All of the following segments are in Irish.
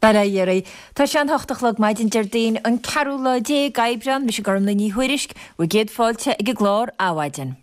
Bail ó Dhia oraibh. Tá sé an hocht a chlog maidin Déardaoin an ceathrú lá déag Aibreán, mise Gormlaith Ní Thuairisg, bhur gcéad fáilte ag an gclár Adhmhaidin.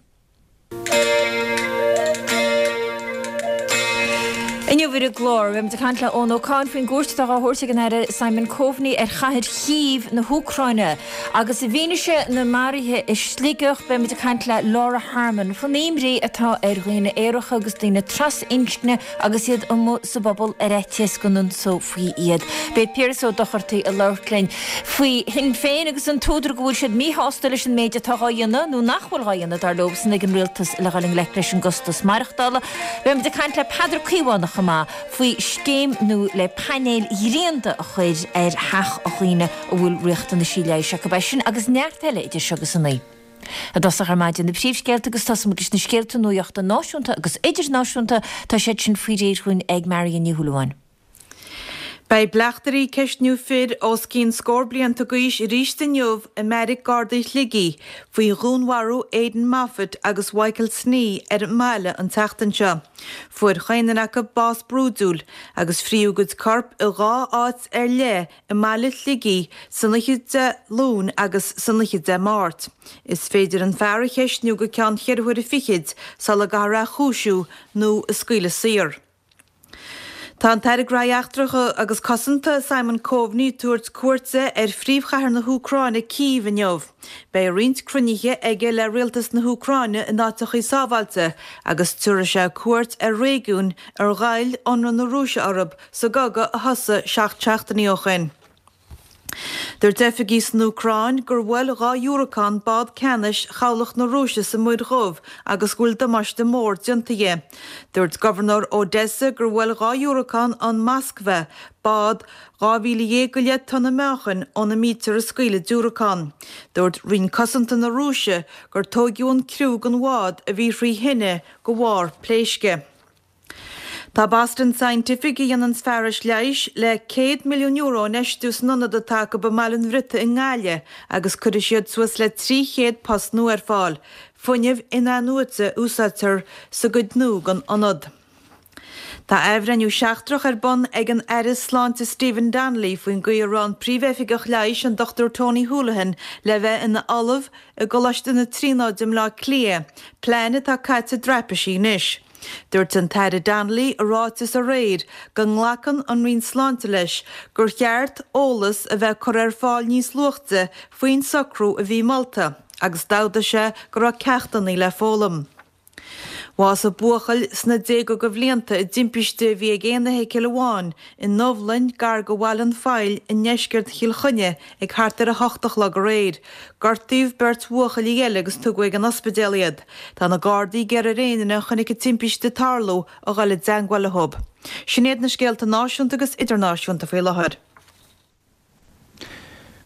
Inniu ar an gclár, beimid ag caint le Eoin Ó Cadhain faoin gcuairt atá á thabhairt ag an Aire Simon Coveney ar chathair Chív na hÚcráine. Agus i bhfianaise na maruithe i Sligeach, beimid ag caint le Laura Harmon faoin imní atá ar dhaoine aeracha agus daoine trasinscne agus iad amuigh sa bpobal ar fhaitíos go n-ionsófaí iad. Beidh Piaras Ó Dochartaigh ag labhairt linn faoi Shinn Féin agus an t-údar go bhfuil siad míshásta leis an méid atá dhá dhéanamh, nó nach bhfuil dhá dhéanamh, dar leosan, ag an rialtas le dhul i ngleic leis an gcostas maireachtála. Beimid ag caint le Peadar Caomhánach chomh maith faoi scéim nua le painéil ghrianda a chur ar theach dhaoine a bhfuil riachtanaisí leighis acu. É sin agus neart eile idir seo agus a naoi. I dtosach ar maidin na príomhscéalta agus tosóimid leis na scéalta nuachta náisiúnta agus idirnáisiúnta. Tá siad sin faoi réir dhúinn ag Marion Ní Shúilleabháin. Beidh bleachtairí ag ceistniú fir os cionn scór blianta d'aois arís inniu i mBeairic Gardaí Shligigh faoi dhúnmharú Aidan Moffitt agus Mhichael Snee ar an mbaile an tseachtain seo. Fuair chaon duine acu bás brúidiúil agus fríodh a gcuid corp i dhá áit ar leith i mbaile Shligigh san oíche Dé Luain agus san oíche Dé Máirt. Is féidir an fear a cheistniú go ceann cheithre huaire fichid sula gcaithfear é a chúisiú nó a scaoileadh saor. Tá an tAire Gnóthaí Eachtracha agus Cosanta Simon Coveney ag tabhairt cuairte ar phríomhchathair na hÚcráine, Cív, inniu. Beidh roinnt cruinnithe aige le rialtas na hÚcráine in áiteachaí sábháilte agus tabharfaidh sé cuairt ar réigiúin ar ghoill ionradh na Rúise orthu sa gcogadh a thosaigh 7 seachtainí ó shin. Dúirt oifigigh san Úcráin gur bhuail 2 dhiúracán bád ceannais chabhlach na Rúise sa Muir Dhubh agus go bhfuil damáiste mór déanta dhi. Dúirt gobharnóir Odessa gur bhuail 2 dhiúracán an Moskva, bád 12,000 go leith tonna meáchain óna mbítear ag scaoileadh diúracán. Dúirt Roinn Cosanta na Rúise gur tóigeadh an criú den bhád a bhí thrí thine de bharr pléisce. Tá Boston Scientific, a dhéananns fearais leighis, le €100 milliún a infheistiú san ionad atá acu i mBaile an Bhriotaigh i nGaillimh agus cuirfidh siad suas le 300 post nua ar fáil. Fuinneamh in-athnuaite a úsáidtear sa gcuid nua den ionad. Tá athbhreithniú seachtrach ar bun ag an Aire Sláinte Stephen Donnelly faoin gcaoi a raibh an Príomhoifigeach Leighis, an Dr Tony Holohan, le bheith ina ollamh i gColáiste na Tríonóide i mBleá Cliath, plean atá caite i dtraipisí anois. Dúirt an tAire Donnelly i ráiteas aréir go nglacann an Roinn Sláinte leis gur cheart eolas a bheith curtha ar fáil níos luaite faoin socrú a bhí molta agus d'admhaigh sé go raibh ceachtanna le foghlaim. Bhásaigh buachaill sna déaga de bhlianta i dtimpiste a bhí ag aon fheithicil amháin i nDubhlainn gar do Bhaile an Phoill i ndeisceart Chill Chainnigh ag thart ar a hocht a chlog aréir. Gortaíodh beirt bhuachaillí eile agus tugadh ag an ospidéal iad. Tá na Gardaí ag iarraidh ar aon duine a chonaic an timpiste ag tarlú a dhul i dteangmháil leo. Sin iad na scéalta náisiúnta agus idirnáisiúnta faoi láthair.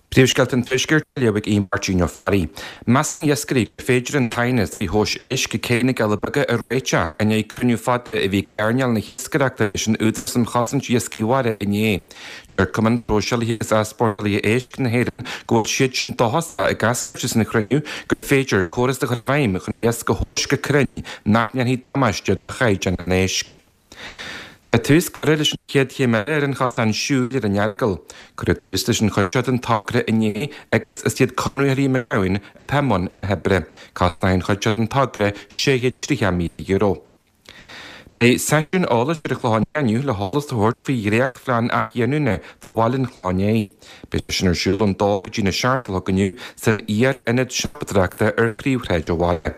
Príomhscéalta an Tuaiscirt á léamh ag Aodh Máirtín Ó Fearraigh. Measann iascairí gur féidir an t-aighneas faoi thomhais éisc ag Cé na gCealla Beaga a réiteach i ndiaidh cruinniú fada a bhí ag earnáil na hiascaireachta leis an Údarás um Chosaint Iascaigh Mhara inné. Deir Cumann Próiseálaithe agus Easpórtálaithe Éisc na hÉireann go bhfuil siad sin dóchasach ag eascairt as an chruinniú gur féidir córas a chur i bhfeidhm chun iasc a thomhas go cruinn nach ndéanfaidh damáiste do chaighdeán an éisc. Tá tús curtha leis an chéad chéim eile ar an chosán siúil ar an Earagail. Cuireadh tús leis an chuid seo den togra inné agus is iad conraitheoirí McGowan atá i mbun na hoibre. Cosnóidh an chuid seo den togra €630,000. Beidh seisiún eolais ar an Chlochán Liath inniu le heolas a thabhairt faoi dhréachtphlean athghiniúna do bhaile an Chlocháin Léith. Beidh sé sin ar siúl ón dó go dtí na seacht a chlog inniu san iar-ionad siopadóireachta ar phríomhshráid an bhaile.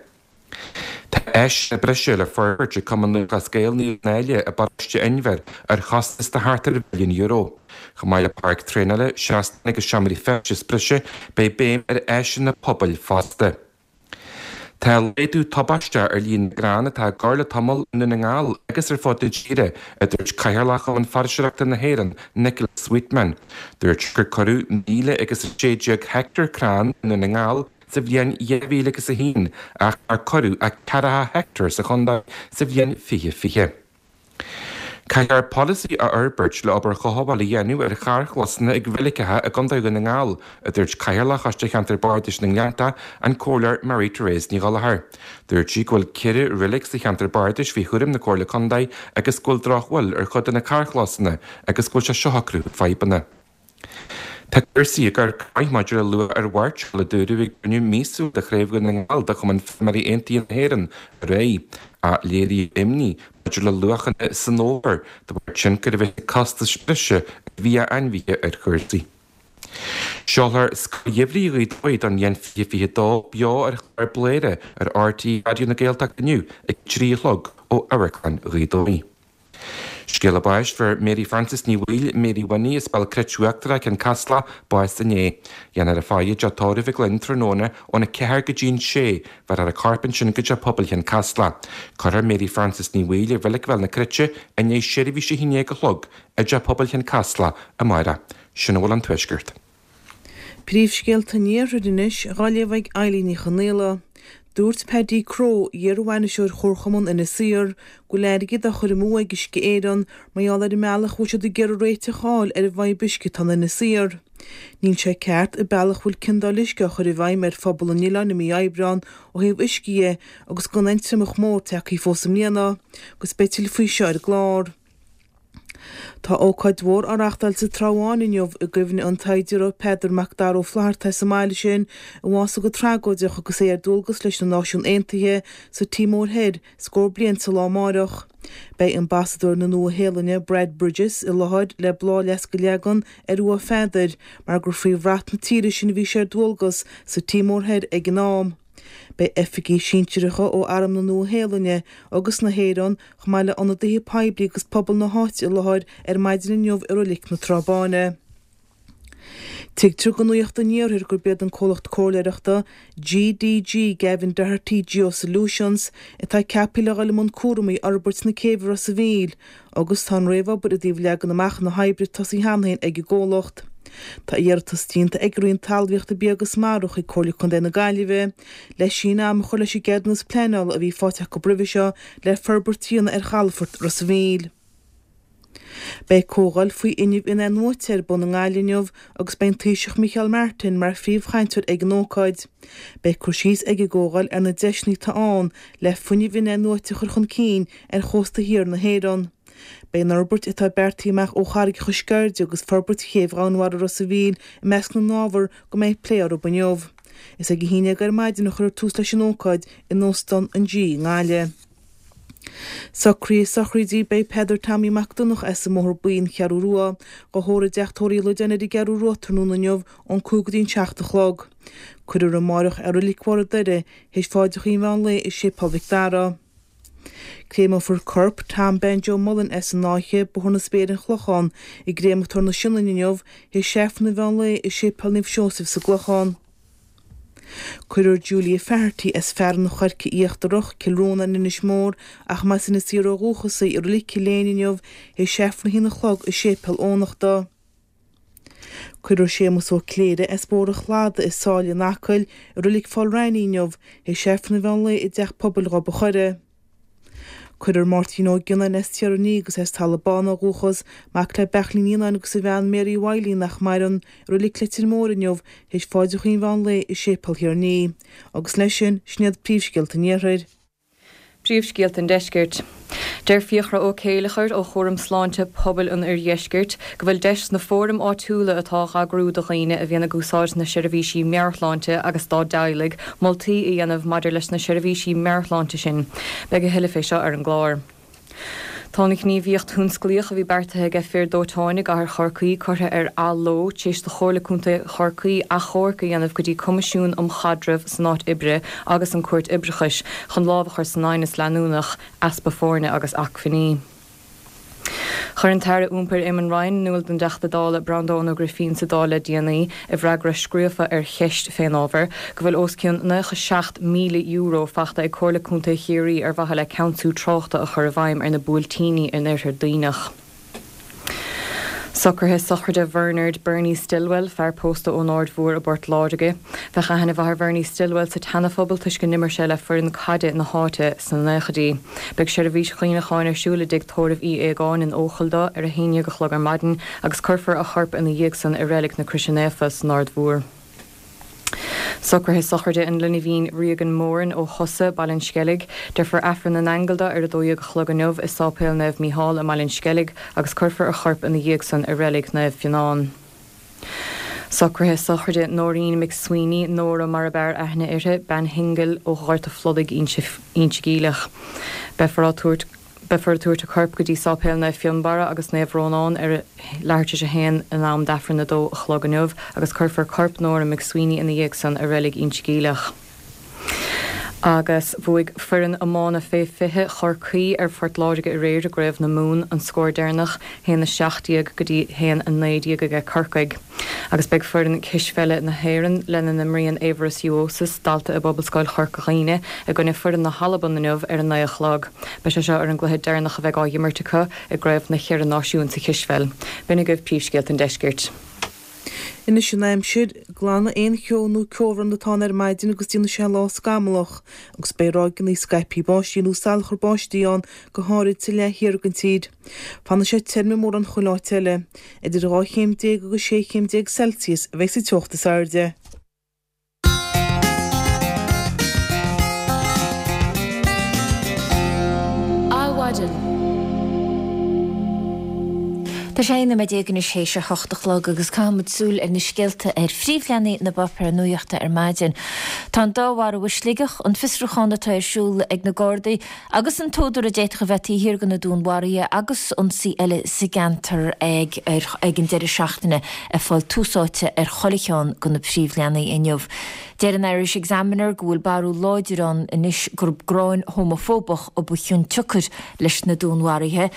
Tá áiseanna breise le forbairt ag Cumann Lúthchleas Gael Naomh Náille i bparóiste Inbhir ar chostas de thart ar mhilliún euro. Chomh maith le páirc traenála, seastáin agus seomraí feistis breise, beidh béim ar áiseanna pobail fosta. Tá laghdú tubaisteach ar líon na gcrann atá á gcur le tamall i nDún na nGall agus ar fud na tíre, a dúirt Cathaoirleach Chumann Foraoiseoireachta na hÉireann, Nicola Sweetman. Dúirt sé gur cuireadh 1,016 heicteár crann i nDún na nGall sa bhliain 2001 ach nár cuireadh ach ceathracha heicteár sa chontae sa bhliain 2020. Caithfear polasaí a fhorbairt le obair chothabháil a dhéanamh ar charrchlósanna ag reiligeacha i gContae Dhún na nGall, a dúirt Cathaoirleach Choiste Cheantar Bardais na nGleannta, an Comhairleoir Mary Therese Ní Ghallchóir. Dúirt sí go bhfuil 4 reilig sa cheantar bardais faoi chúram na Comhairle Contae agus go bhfuil drochbhail ar chuid de na carrchlósanna agus go bhfuil sé seo ag cruthú fadhbanna. Tá cúrsaí ag amharc go maith maidir le luach ar mhairteoil, a dúradh ag cruinniú míosúil de Chraobh Dhún na nGall de Chumann Feirmeoirí Aontaithe na hÉireann aréir, ach léiríodh imní maidir le luachanna san fhómhar de bharr tionchar a bheith ag costais bhreise ar bhia ainmhithe ar chúrsaí. Seolfar Scoil Gheimhridh Ghaoth Dobhair don bhliain 2022 beo ar chlár Bladhaire ar RTÉ Raidió na Gaeltachta inniu ag a 3 a chlog ó Amharclann Ghaoth Dobhair. Scéala báis, Fuair Mary Frances Ní Bhaoill, Mary Winnie, as Béal Cruit Uachtarach, Cionn Caslach, bás inné. Déanfar a faire i dteach tórraimh i gCloinn tráthnóna óna 4 go dtí an 6, bhéarfar a corp ansin go Teach Pobail Chionn Caslach. Cuirfear Mary Frances Ní Bhaoill i Reilig Bhéal na Cruite i ndiaidh seirbhís a haon déag a chlog i dTeach Pobail Chionn Caslach amárach. Sin a bhfuil ón Tuaisceart. Príomhscéalta an Iarthair anois, dhá léamh ag Eilín Ní Chonaola. Dúirt Paddy Crowe, iar-bhainisteoir Chomharchumann Inis Oírr, go bhfuil airgead á chur amú ag Uisce Éireann mar gheall ar an mbealach a bhfuil siad ag iarraidh réiteach a fháil ar an bhfadhb uisce atá in Inis Oírr. Níl sé ceart an bealach a bhfuil ciondáil uisce á chur i bhfeidhm ar phobal an oileáin i mí Aibreán ó thaobh uisce dhe agus gan aon triomach mór tagtha fós i mbliana, agus beidh tuilleadh faoi seo ar an gclár. Tá ócáid mhór á reachtáil sa Trá Bháin inniu i gcuimhne an tsaighdiúra Peadar Mac Dara Ó Flatharta as an mbaile sin a bhásaigh go tragóideach agus é ar dualgas leis na Náisiúin Aontaithe sa Tíomór Thoir scór bliain sa lá amáireach. Beidh Ambasadóir na Nua-Shéalainne Brad Bridges i láthair le bláthfhleasc a leagan ar uaigh Pheadair mar gur faoi bhrat na tíre sin a bhí sé ar dualgas sa Tíomór Thoir ag an am. Beidh oifigigh sinsearacha ó Arm na Nua-Shéalainne agus na hÉireann, chomh maith le ionadaithe poiblí agus pobal na háite i láthair ar maidin inniu i Roilic na Trá Báine. Tuigtear do Nuacht an Iarthair gurb iad an comhlacht comhairleoireachta GDG, Gavin Doherty Geosolutions, atá ceaptha le dhul i mbun cúramaí fhorbairt na céibhe Ros a' Mhíl, agus tá an réamhobair i dtaobh leagan amach na hoibre tosaithe cheana féin ag an gcomhlacht. Tá iarratas déanta ag an Roinn Talmhaíochta, Bia agus Mara chuig Comhairle Contae na Gaillimhe le síneadh ama a chur leis an gceadúnas pleanála a bhí faighte acu roimhe seo le forbairt a dhéanamh ar chalafort Ros a' Mhíl. Beidh comhdháil faoi fhuinneamh in-athnuaite ar bun i nGaillimh inniu agus beidh an Taoiseach Micheál Martin mar phríomhchainteoir ag an ócáid. Beidh cur síos ag an gcomhdháil ar na deiseanna atá ann le fuinneamh in-athnuaite a chur chun cinn ar chósta thiar na hÉireann. Beidh an fhorbairt atá beartaithe amach ó Charraigeacha Sceirde agus forbairt Chéibh Dhomhanmhara Ros a' Mhíl i measc na n-ábhar go mbeidh plé orthu inniu. Is ag 11 ar maidin a chuirfear tús leis an ócáid in Óstán an G i nGaillimh. Socruithe sochraide Beidh Peadar Tommy Mac Donncha as an mBóthar Buí, An Cheathrú Rua, dhá thórramh i dteach tórraimh Uí Loideáin ar an gCeathrú Rua tráthnóna inniu ón 5 go dtí an 7 a chlog. Cuirfear amáireach é i Reilig Bharr an Doire théis pháidreacha an mheán lae i Séipéal Mhic Dara. Créamófar corp Tom Banjo Mullen as an Fháiche, Bóthar na Spéire An Clochán, i gCréamatóir na Sionainne inniu théis Aifreann an mheán lae i Séipéal Naomh Seosamh sa gClochán. Cuirfear Julia Faherty as Fearann an Choirce Íochtarach, Cill Rónáin, Inis Mór, ach más as Inis Oírr ó dhúchas í, i Reilig Chill Éinde inniu théis Aifreann a haon a chlog i Séipéal Eoghanachta. Cuirfear Séamus Ó Cléirigh as Bóthar an Chladaigh i Sáile in Acaill i Reilig Pholl Raithní inniu théis Aifreann an mheán lae i dTeach Pobail Ghob an Choire. Cuirfear Máirtín Ó Gionnáin as Tír an Fhia agus as Talamh Bán ó dhúchas, mac le Beachlín Ó Gionnáin agus a bhean Mary Wiley nach maireann, i Reilig Leitir Móir inniu théis pháidreacha an mheán lae i Séipéal Thír an Fhia. Agus leis sin, sin iad príomhscéalta an Iarthair. Príomhscéalta an Deiscirt. Deir Fiachra Ó Céileachair ó Chúram Sláinte Pobail an Oirdheiscirt go bhfuil deis sna fóraim áitiúla atá á n-eagrú do dhaoine a bhíonn ag úsáid na seirbhísí meabhairshláinte agus dá dteaghlaigh moltaí a dhéanamh maidir leis na seirbhísí meabhairshláinte sin. Beidh a thuilleadh fé seo ar an gclár. Tá an ghníomhaíocht thionsclaíoch a bhí beartaithe aige fir dóiteáin i gcathair Chorcaí curtha ar athló tar éis do Chomhairle Contae Chorcaí achomharc a dhéanamh go dtí Coimisiún um Chaidreamh san Áit Oibre agus an Cúirt Oibreachais chun lámh a chur san aighneas leanúnach easpa foirne agus acmhainní. Chuir an tAire Iompair Eamon Ryan in iúl don dTeachta Dála Breandán Ó Grifín sa Dáil le déanaí, i bhfreagra scríofa ar cheist fén ábhar, go bhfuil os cionn €97,000 fachta ag Comhairle Contae Chiarraí ar mhaithe le ceansú tráchta a chur i bhfeidhm ar na buailtíní in Oirthear Duibhneach. Socruithe sochraide Bhernard Bernie Stilwell, fear pósta ón Aird Mhór i bPort Láirge. Bheadh aithne mhaith ar Bhernie Stilwell sa tSeanaphobal toisc go n-imir sé le foireann caide na háite sna naochaidí. Beidh seirbhís chuimhneacháin ar siúl i dtigh tórraimh Uí Aogáin in Eochaill dó ar a haon dhéag a chlog ar maidin agus cuirfear a chorp ina dhiaidh san i Reilig na Croise Naofa san Aird Mhór. Socruithe sochraide an linbhín Reagan Moran ó Chosa, Baile an Sceilg. Déarfar Aifreann na nAingeal dó ar 12 a chlog inniu i Sáipéal Naomh Mícheál i mBaile an Sceilg agus cuirfear a chorp ina dhiaidh san i Reilig Naomh Fionán. Socruithe sochraide Nóirín McSweeney, Nóra mar ab fhearr aithne uirthi, bean shingil ó Ghort a' Phludaigh, Inse Geimhleach. Beifear á tabhairt. Beifear ag tabhairt a corp go dtí Sáipéal Naomh Fionnbarra agus Naomh Rónán ar a leathuair tar éis a haon in am d'Aifreann 2 a chlog inniu agus cuirfear corp Nóra McSweeney ina dhiaidh san i Reilig Inse Geimhleach. Agus bhuaigh foireann iomána fé 20 Chorcaí ar Phort Láirge aréir i gCraobh na Mumhan, an scór deireanach, 1-17 go dtí 1-19 aige Corcaigh. Agus beidh foireann cispheile na hÉireann, lena n-imríonn Aivaras Uosis, dalta i bPobalscoil Chorca Dhuibhne, i gcoinne foireann na hAlban inniu ar a 9 a chlog. Beidh sé seo ar an gcluiche deireanach a bheidh á dh'imirt acu i gCraobh na Cheithre Náisiún sa chispheil. B'in agaibh príomhscéalta an deiscirt. Anois an aimsir, glanfaidh aon cheo nó ceobhrán atá ann ar maidin agus déanfaidh sé lá scamallach agus beidh ráigeanna scaipthe báistí nó salachar báistí ann go háirid sa leath thiar den tír. Fanfaidh sé tirim i mórán chuile áit eile. Idir 12 chéim agus 16 chéim Celsius a bheidh sa teocht is airde. Adhmhaidin. Tá sé 11 nóiméad anois théis a hocht a chlog agus caithfidh muid súil ar na scéalta ar phríomhleathanaigh na bpáipéar nuachta ar maidin. Tá an dá mharú i Sligeach, an fiosrúchán atá ar siúl ag na Gardaí, Agus an t-údar a d'fhéadfadh a bheith taobh thiar de na dúnmharuithe agus ionsaí eile sa gceantar ag ag an deireadh seachtaine ag fáil tús áite ar chuile cheann de na príomhleathanaigh inniu. Deir an Irish Examiner go bhfuil barúil láidir ann anois gurb gráin homafóbach a ba chionsiocair leis na dúnmharuithe.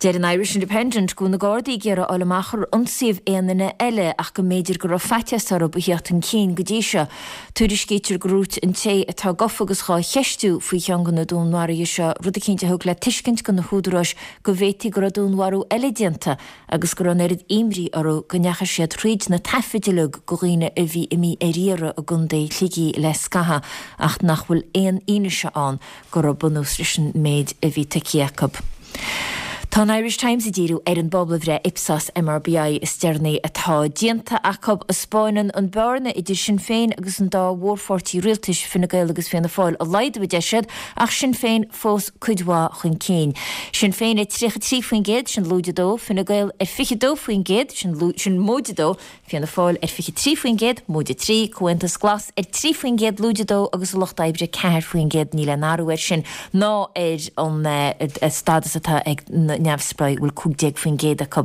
Deir an Irish Independent go bhfuil na Gardaí ag iarraidh a fháil amach ar ionsaíodh aon duine eile ach go mb'fhéidir go raibh faitíos orthu a theacht chun cinn go dtí seo. Tuairiscítear gur dhúirt an té atá gafa agus dhá cheistiú faoi cheann de na dúnmharuithe seo rud eicínt a thug le tuiscint do na húdaráis go bhféadfaí go raibh dúnmharú eile déanta agus go raibh an oiread imní orthu go ndeachaigh siad thríd na taifid uilig de dhaoine a bhí imithe ar iarraidh i gContae Shligigh le scaitheamh ach nach bhfuil aon fhianaise ann go raibh bunús leis an méid a bhí tuigthe acu. Tá an Irish Times ag díriú ar an bpobalbhreith Ipsos MRBI is deireanaí atá déanta acu, a 'spáineann an bearna idir Sinn Féin agus an dá mhórpháirtí rialtais, Fine Gael agus Fianna Fáil, a laghdú, a deir siad, ach Sinn Féin fós cuid mhaith chun cinn. Sinn Féin ar 33%, sin lúide 2, Fine Gael ar 22%, sin móide 2, Fianna Fáil ar 23%, móide 3, Comhaontas Glas ar 3%, lúide 2 agus an Lucht Oibre 4%. Níl aon athrú air sin ná ar an stádas atá ag na neamhspleáigh, a bhfuil 15% acu.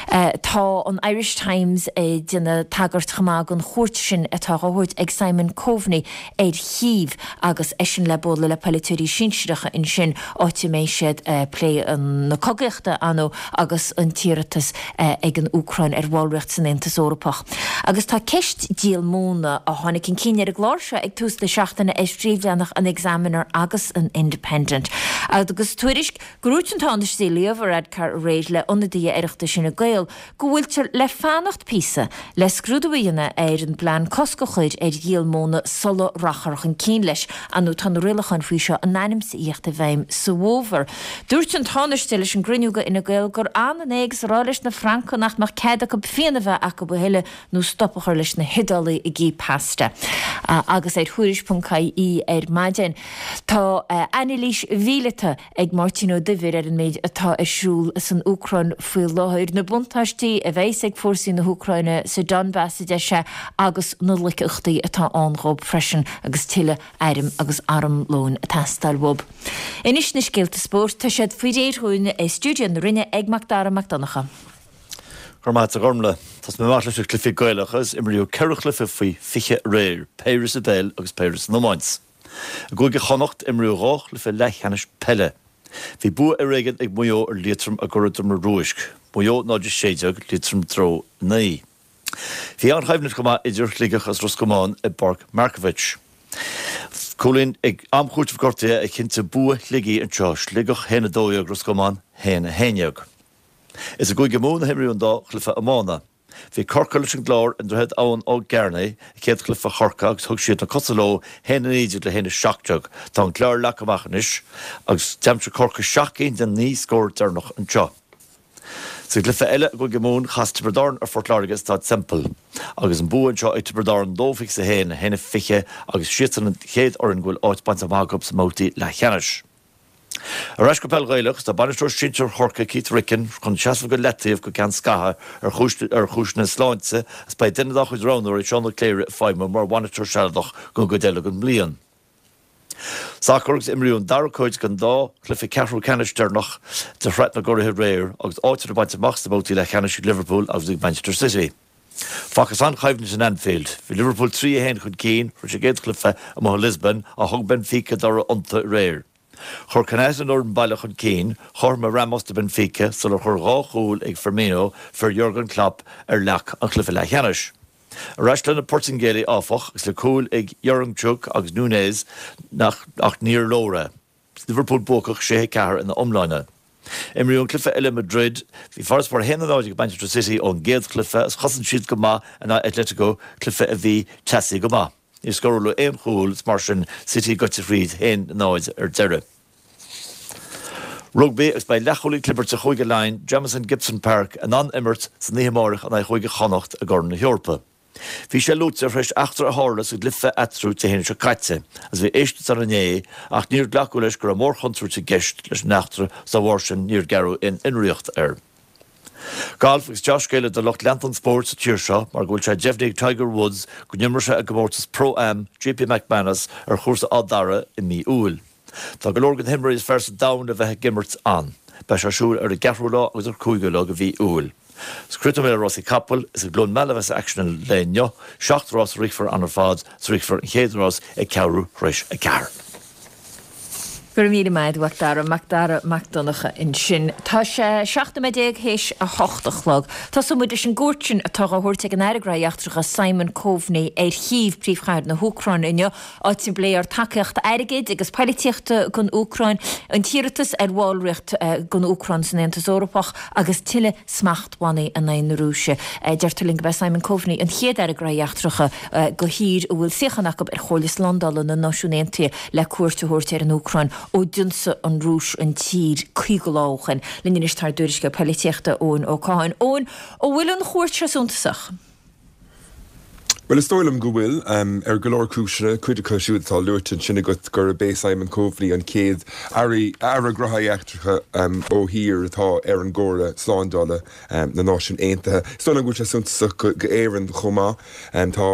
Tá an Irish Times ag déanamh tagairt chomh maith don chuairt sin atá á thabhairt ag Simon Coveney ar Chív agus eisean le bualadh le polaiteoirí sinsearacha ansin, áit a mbeidh siad ag plé na cogaíochta, ar ndóigh, agus an t-iarratas ag an Úcráin ar bhallraíocht san Aontas Eorpach. Agus tá ceist díol móna, a tháinig chun cinn ar an gclár seo ag tús na seachtaine, ar phríomhleathanach an Examiner agus an Independent. Agus tuairisc gur dhúirt an Tánaiste Leo Varadkar aréir le ionadaithe Oireachtais Fhine Gael go bhfuiltear le fanacht píosa le scrúdú a dhéanamh ar an bplean cosc a chur ar dhíol móna sula rachfar chun cinn leis. Ar ndóigh tá na rialacháin faoi seo in ainm is a thíocht i bhfeidhm sa bhfómhar. Dúirt an Tánaiste leis an gcruinniú de Fhine Gael gur ionann é agus a rá leis na Francaigh nach mbeadh cead acu fíon a bheith acu a thuilleadh nó stop a chur leis na hIodálaigh ag ithe pasta. Agus ar Thuairisc.ie ar maidin tá anailís mhíleata ag Máirtín Ó Duibhir ar an méid atá ar siúl san Úcráin faoi láthair, na buntáistí a bheas ag fórsaí na hÚcráine sa Donbas, a deir sé, agus na loiceachtaí atá ann dhób freisin agus tuilleadh airm agus armlóin ag teastáil uathu. Anois na scéalta spóirt, tá siad faoi réir dhúinn i stiúideo na Rinne ag Mac Dara Mac Donncha. Go raibh maith agat a Ghormlaith. Tosóidh mé amach leis na cluichí Gaelacha agus imríodh 4 chluiche faoi 20 aréir, péire sa bpeil agus péire san iomáint. I gCúige Chonnacht, imríodh 2 chluiche leathcheannais peile. Bhí bua ar éigean ag Maigh Eo ar Liatroim i gCora Droma Ruaisc, Maigh Eo 0-16, Liatroim 0-9. Bhí an-choimhlint chomh maith idir Shligeach agus Ros Comáin i bPáirc Markievicz. Cúilín ag am chúitimh gortaithe a chinntigh bua Shligigh anseo, Sligeach 1-12, Ros Comáin 1-11. Is i gCúige Mumhan a himríodh an dá chluiche iomána. Bhí Corcaigh leis an gClár i nDroichead Abhann Ó gCearnaigh i gcéad chluiche Chorcaí agus thug siad na cosa leo 1-19 le 1-17. Tá an Clár leagtha amach anois agus d'aimsigh Corcaigh 7 gcinn den 9 scór deireanach anseo. Sa gcluiche eile i gCúige Mumhan, chas Tiobraid Árann ar Phort Láirge i Staid Semple agus an bua anseo ag Tiobraid Árann 2-21, 1-20 agus siadsan an chéad fhoireann go bhfuil áit bainte amach acu sa mbabhtaí leathcheannais. Ar ais go peil Ghaelach, tá bainisteoir sinsir Chorcaí Keith Ricken chun seasamh go leataobh go ceann scaithimh ar chúiseanna sláinte agus beidh duine dá chuid roghnóirí, Seán Ó Cléirigh, ag feidhmiú mar bhainisteoir sealadach don gcuid eile den mbliain. Sacar agus imríodh an dara cuid den dá chluiche ceathrú ceannais deireanach de Shraith na gCuraithe aréir agus áiteanna bainte amach sna babhtaí leathcheannais ag Liverpool agus ag Manchester City. Facthas an-choimhlint in Anfield. Bhí Liverpool 3, 1 chun cinn tar éis a gcéad chluiche amuigh i Lisbon ach thug Benfica dtoradh iontu aréir. Chuir Konaté an fhoireann baile chun cinn, chothromaigh Ramos do Benfica sular chuir dhá chúl ag Firmino fir Jurgen Klopp ar leac an chluiche leathcheannais. Ar ais leis na Portaingéalaigh áfach agus le cúil ag Yaremchuk agus Nunes ach níor leor é. Liverpool buacach 6, 4 ina iomláine. Imríodh an cluiche eile i Madrid. Bhí farasbarr 1, 0 ag Manchester City ón gcéad chluiche agus chosain siad go maith in aghaidh Atletico, cluiche a bhí teasaí go maith. Níor scóráladh aon chúl is mar sin City gaibhte thríd 1, 0 ar deireadh. Rugbaí agus beidh leathchúlaí clibirte Chúige Laighean, Jamison Gibson-Park, in ann imirt san oíche amárach in aghaidh Chúige Chonnacht i gCorn na hEorpa. Bhí sé luaite tar éis eachtra a tharla sa gcluiche eatarthu Dé hAoine seo caite agus bhí éisteacht ann inné ach níor glacadh leis go raibh mórchontúirt i gceist leis an eachtra agus dá bharr sin níor gearradh aon fhionraíocht air. Galf agus dea-scéala do lucht leanta an spóirt sa tír seo mar go bhfuil sé deimhnithe ag Tiger Woods go n-imreoidh sé i gcomórtas Pro-Am JP McManus ar chúrsa Áth Dara i mí Iúil. Tá go leor de na himreoirí is fearr sa domhan le bheith ag imirt ann. Beidh sé ar siúl ar an gceathrú lá agus ar cúigiú lá de mhí Iúil. Is críochnóidh mé le rásaí capall, is i gCluain Meala a bheas aicsean an lae inniu. Seacht rás a rithfear ann ar fad, is rithfear an chéad rás ag ceathrú tar éis a ceathair. Go raibh míle maith agat, a Mhac Dara, Mac Dara Mac Donncha ansin. Tá sé 17 nóiméad théis a hocht a chlog. Tosóidh muid leis an gcuairt sin atá á thabhairt ag an Aire Gnóthaí Eachtracha Simon Coveney ar Chív, príomhchathair na hÚcráine inniu, áit a bpléifear tacaíocht airgid agus poilitíochta don Úcráin, an t-iarratas ar bhallraíocht don Úcráin san Aontas Eorpach agus tuilleadh smachtbhannaí in aghaidh na Rúise. Deirtear linn gurb é Simon Coveney an chéad Aire Gnóthaí Eachtracha de thír a bhfuil suíochán acu ar Chomhairle Slándála na Náisiún Aontaithe le cuairt a thabhairt ar an Úcráin ó d'ionsaigh an Rúis an tír 50 lá ó shin. Linn anois tá ár dtuairisceoir poilitíochta, Eoin Ó Catháin. Eoin, an bhfuil an chuairt seo suntasach? Bhuel, is dóigh liom go bhfuil, ar go leor cúiseanna, cuid acu siúd atá luaite ansin agat, gurb é Simon Coveney an chéad Aire Gnóthaí Eachtracha ó thír atá ar an gComhairle Slándála na Náisiún Aontaithe. Is dóigh liom go bhfuil sé suntasach d'Éirinn chomh maith. Tá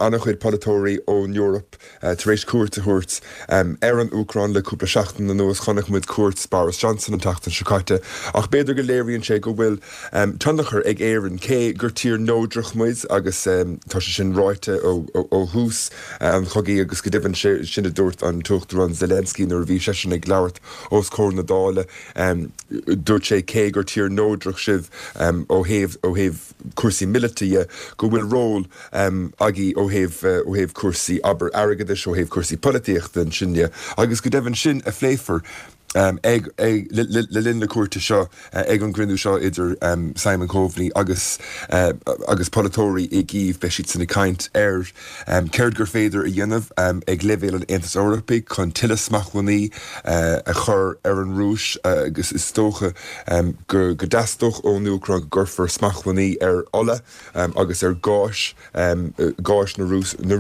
an-chuid polaiteoirí ón Eoraip Tar éis cuairt a thabhairt ar an Úcráin le cúpla seachtain anuas, chonaic muid cuairt Boris Johnson an tseachtain seo caite, ach b'fhéidir go léiríonn sé go bhfuil tionchar ag Éirinn, cé gur tír neodrach muid agus tá sé sin ráite ó thús an chogaidh agus go deimhin sin a dúirt an tUachtarán Zelensky nuair a bhí seisean ag labhairt os comhair na Dála. Dúirt sé cé gur tír neodrach sibh ó thaobh ó thaobh cúrsaí míleata dhe, go bhfuil ról agaibh ó thaobh, ó thaobh cúrsaí, abair, airgeadais, ó thaobh cúrsaí polaitíochta ansin dhe, agus go deimhin sin a phléifear ag, ag, le linn na cuairte seo, ag an gcruinniú seo idir Simon Coveney agus, agus polaiteoirí i gCív. Beidh siadsan ag caint ar céard gur féidir a dhéanamh ag leibhéal an Aontais Eorpaigh chun tuilleadh smachtbhannaí a chur ar an Rúis agus is dócha go dteastódh ón Úcráin go gcuirfear smachtbhannaí ar ola agus ar gháis, gáis na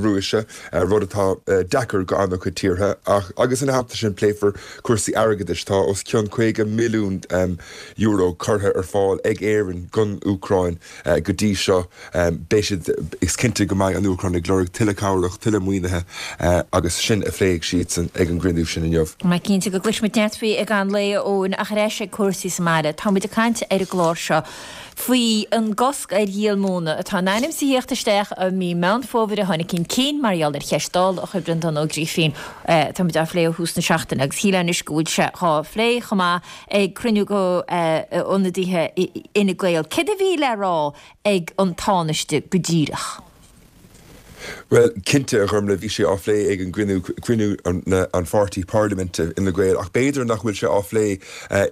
Rúise, rud atá deacair go an-chuid tíortha. Ach agus ina theannta sin pléifear cúrsaí airgeadais. Tá os cionn €50 milliún curtha ar fáil ag Éirinn don Úcráin go dtí seo. Beidh siad, is cinnte go mbeidh an Úcráin ag lorg tuilleadh cabhrach, tuilleadh maoinithe agus sin a phléifidh siadsan ag an gcruinniú sin inniu. Mar cinnte go gcloisfidh muid neart faoi i gcaitheamh an lae, a Eoin, ach ar ais ag cúrsaí sa mbaile. Tá muid ag caint ar an gclár seo faoi an gcosc ar dhíol móna atá in ainm is a thíocht isteach i mí Meán Fómhair a tháinig chun cinn mar gheall ar cheist Dála a chuir Breandán Ó Grífín. Tá muid á phlé ó thús na seachtaine agus shílfeá anois go bhfuil sé dhá phlé chomh maith ag cruinniú de ionadaithe Fhine Gael. Céard a bhí le rá ag an Tánaiste go díreach? Bhuel, cinnte, a Ghormlaith, bhí sé á phlé ag an gcruinniú, cruinniú an pháirtí parlaiminte Fhine Gael, ach b'fhéidir nach bhfuil sé á phlé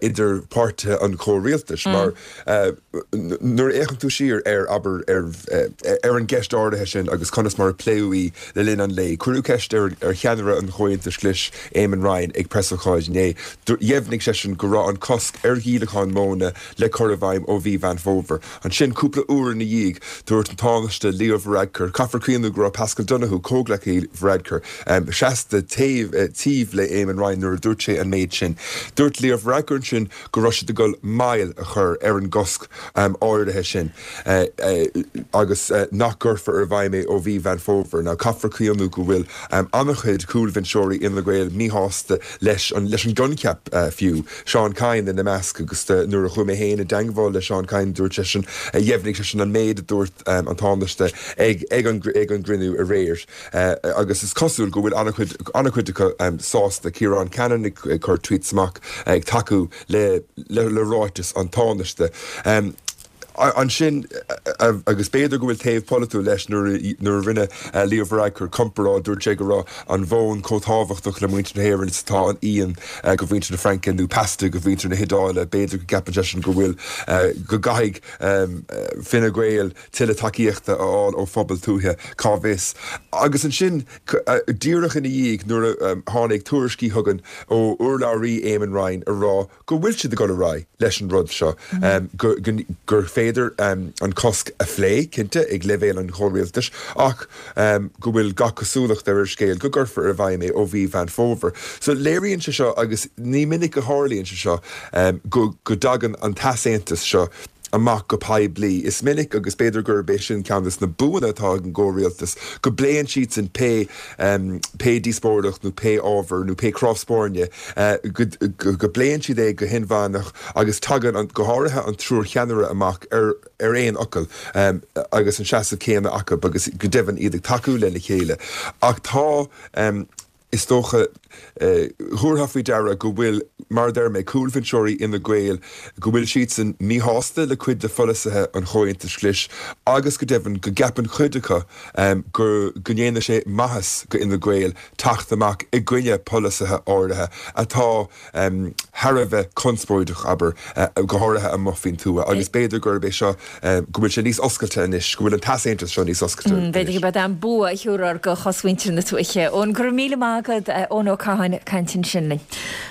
idir páirtithe an chomhrialtais, mar nuair a fhéachann tú siar ar, abair, ar an gceist áirithe sin agus conas mar a pléadh í le linn an lae, cuireadh ceist ar cheannaire an Chomhaontais Ghlais, Eamon Ryan, ag preasócáid inné. Dheimhnigh seisean go raibh an cosc ar dhíolachán móna le cur i bhfeidhm ó mhí Mheán Fómhair. Ansin, cúpla uair ina dhiaidh, dúirt an Tánaiste Leo Varadkar, caithfear cuimhniú go raibh Paschal Donohoe, comhghleacaí Varadkar, seasta taobh taobh le Eamon Ryan nuair a dúirt sé an méid sin. Dúirt Leo Varadkar ansin go raibh siad ag dul moill a chur ar an gcosc áirithe sin agus nach gcuirfear i bhfeidhm é ó mhí Mheán Fómhair. Now, caithfear cuimhniú go bhfuil an-chuid cúlbhinseoirí Fhine Gael míshásta leis an leis an gcoincheap fiú. Seán Kyne ina measc agus nuair a chuaigh mé féin i dteangmháil le Seán Kyne dúirt seisean, dheimhnigh seisean an méid a dúirt an Tánaiste ag ag an ag an gcruinniú aréir agus is cosúil go bhfuil an-chuid an-chuid acu sásta. Ciarán Cannon ag cur tweets amach ag tacú le le ráiteas an Tánaiste. Ansin, agus b'fhéidir go bhfuil taobh polaitiúil leis, nuair a rinne Leo Varadkar comparáid, dúirt sé go raibh an mhóin chomh tábhachtach le muintir na hÉireann is atá an fhíon do mhuintir na Fraince nó pasta do mhuintir na hIodáile. B'fhéidir go gceapann seisean go bhfuil, go gcaithfidh Fine Gael tuilleadh tacaíochta a fháil ó phobal tuaithe, cá bhfios. Agus ansin, díreach ina dhiaidh, nuair a tháinig tuairiscí chugainn ó urlabhraí Eamon Ryan a rá go bhfuil siad ag dul ar aghaidh leis an rud seo, gur féidir an cosc a phlé, cinnte, ag leibhéal an chomhrialtais, ach go bhfuil gach cosúlacht ar an scéal go gcuirfear i bhfeidhm é ó mhí Mheán Fómhair. So léiríonn sé seo, agus ní minic a tharlaíonn sé seo, go dtagann an t-easaontas seo amach go poiblí. Is minic, agus b'fhéidir gurb é sin ceann de na buanna atá ag an gcomhrialtas, go bpléann siadsan pé pé díospóireacht nó pé ábhar nó pé cnámh spairne, go go bpléann siad é go hinmheánach agus tagann an, go háirithe an triúr cheannaire amach ar ar aon fhocal agus an seasamh céanna acu agus go deimhin iad ag tacú lena chéile. Ach tá. Is dócha, thabharfá faoi deara go bhfuil, mar a deir mé, cúlbhinseoirí Fhine Gael, go bhfuil siadsan míshásta le cuid de pholasaithe an Chomhaontais Ghlais agus go deimhin go gceapann cuid acu go go ndéanfaidh sé maitheas go Fhine Gael teacht amach i gcoinne polasaithe áirithe atá thar a bheith conspóideach, abair, go háirithe amuigh faoin tuath, agus b'fhéidir gurb é seo, go bhfuil sé níos oscailte anois, go bhfuil an t-easaontas seo níos oscailte anois. B'fhéidir gurb é an bua a thiúrfar do chosmhuintir na tuaithe. Eoin, go raibh míle maith agat, Eoin Ó Catháin ag caint ansin linn.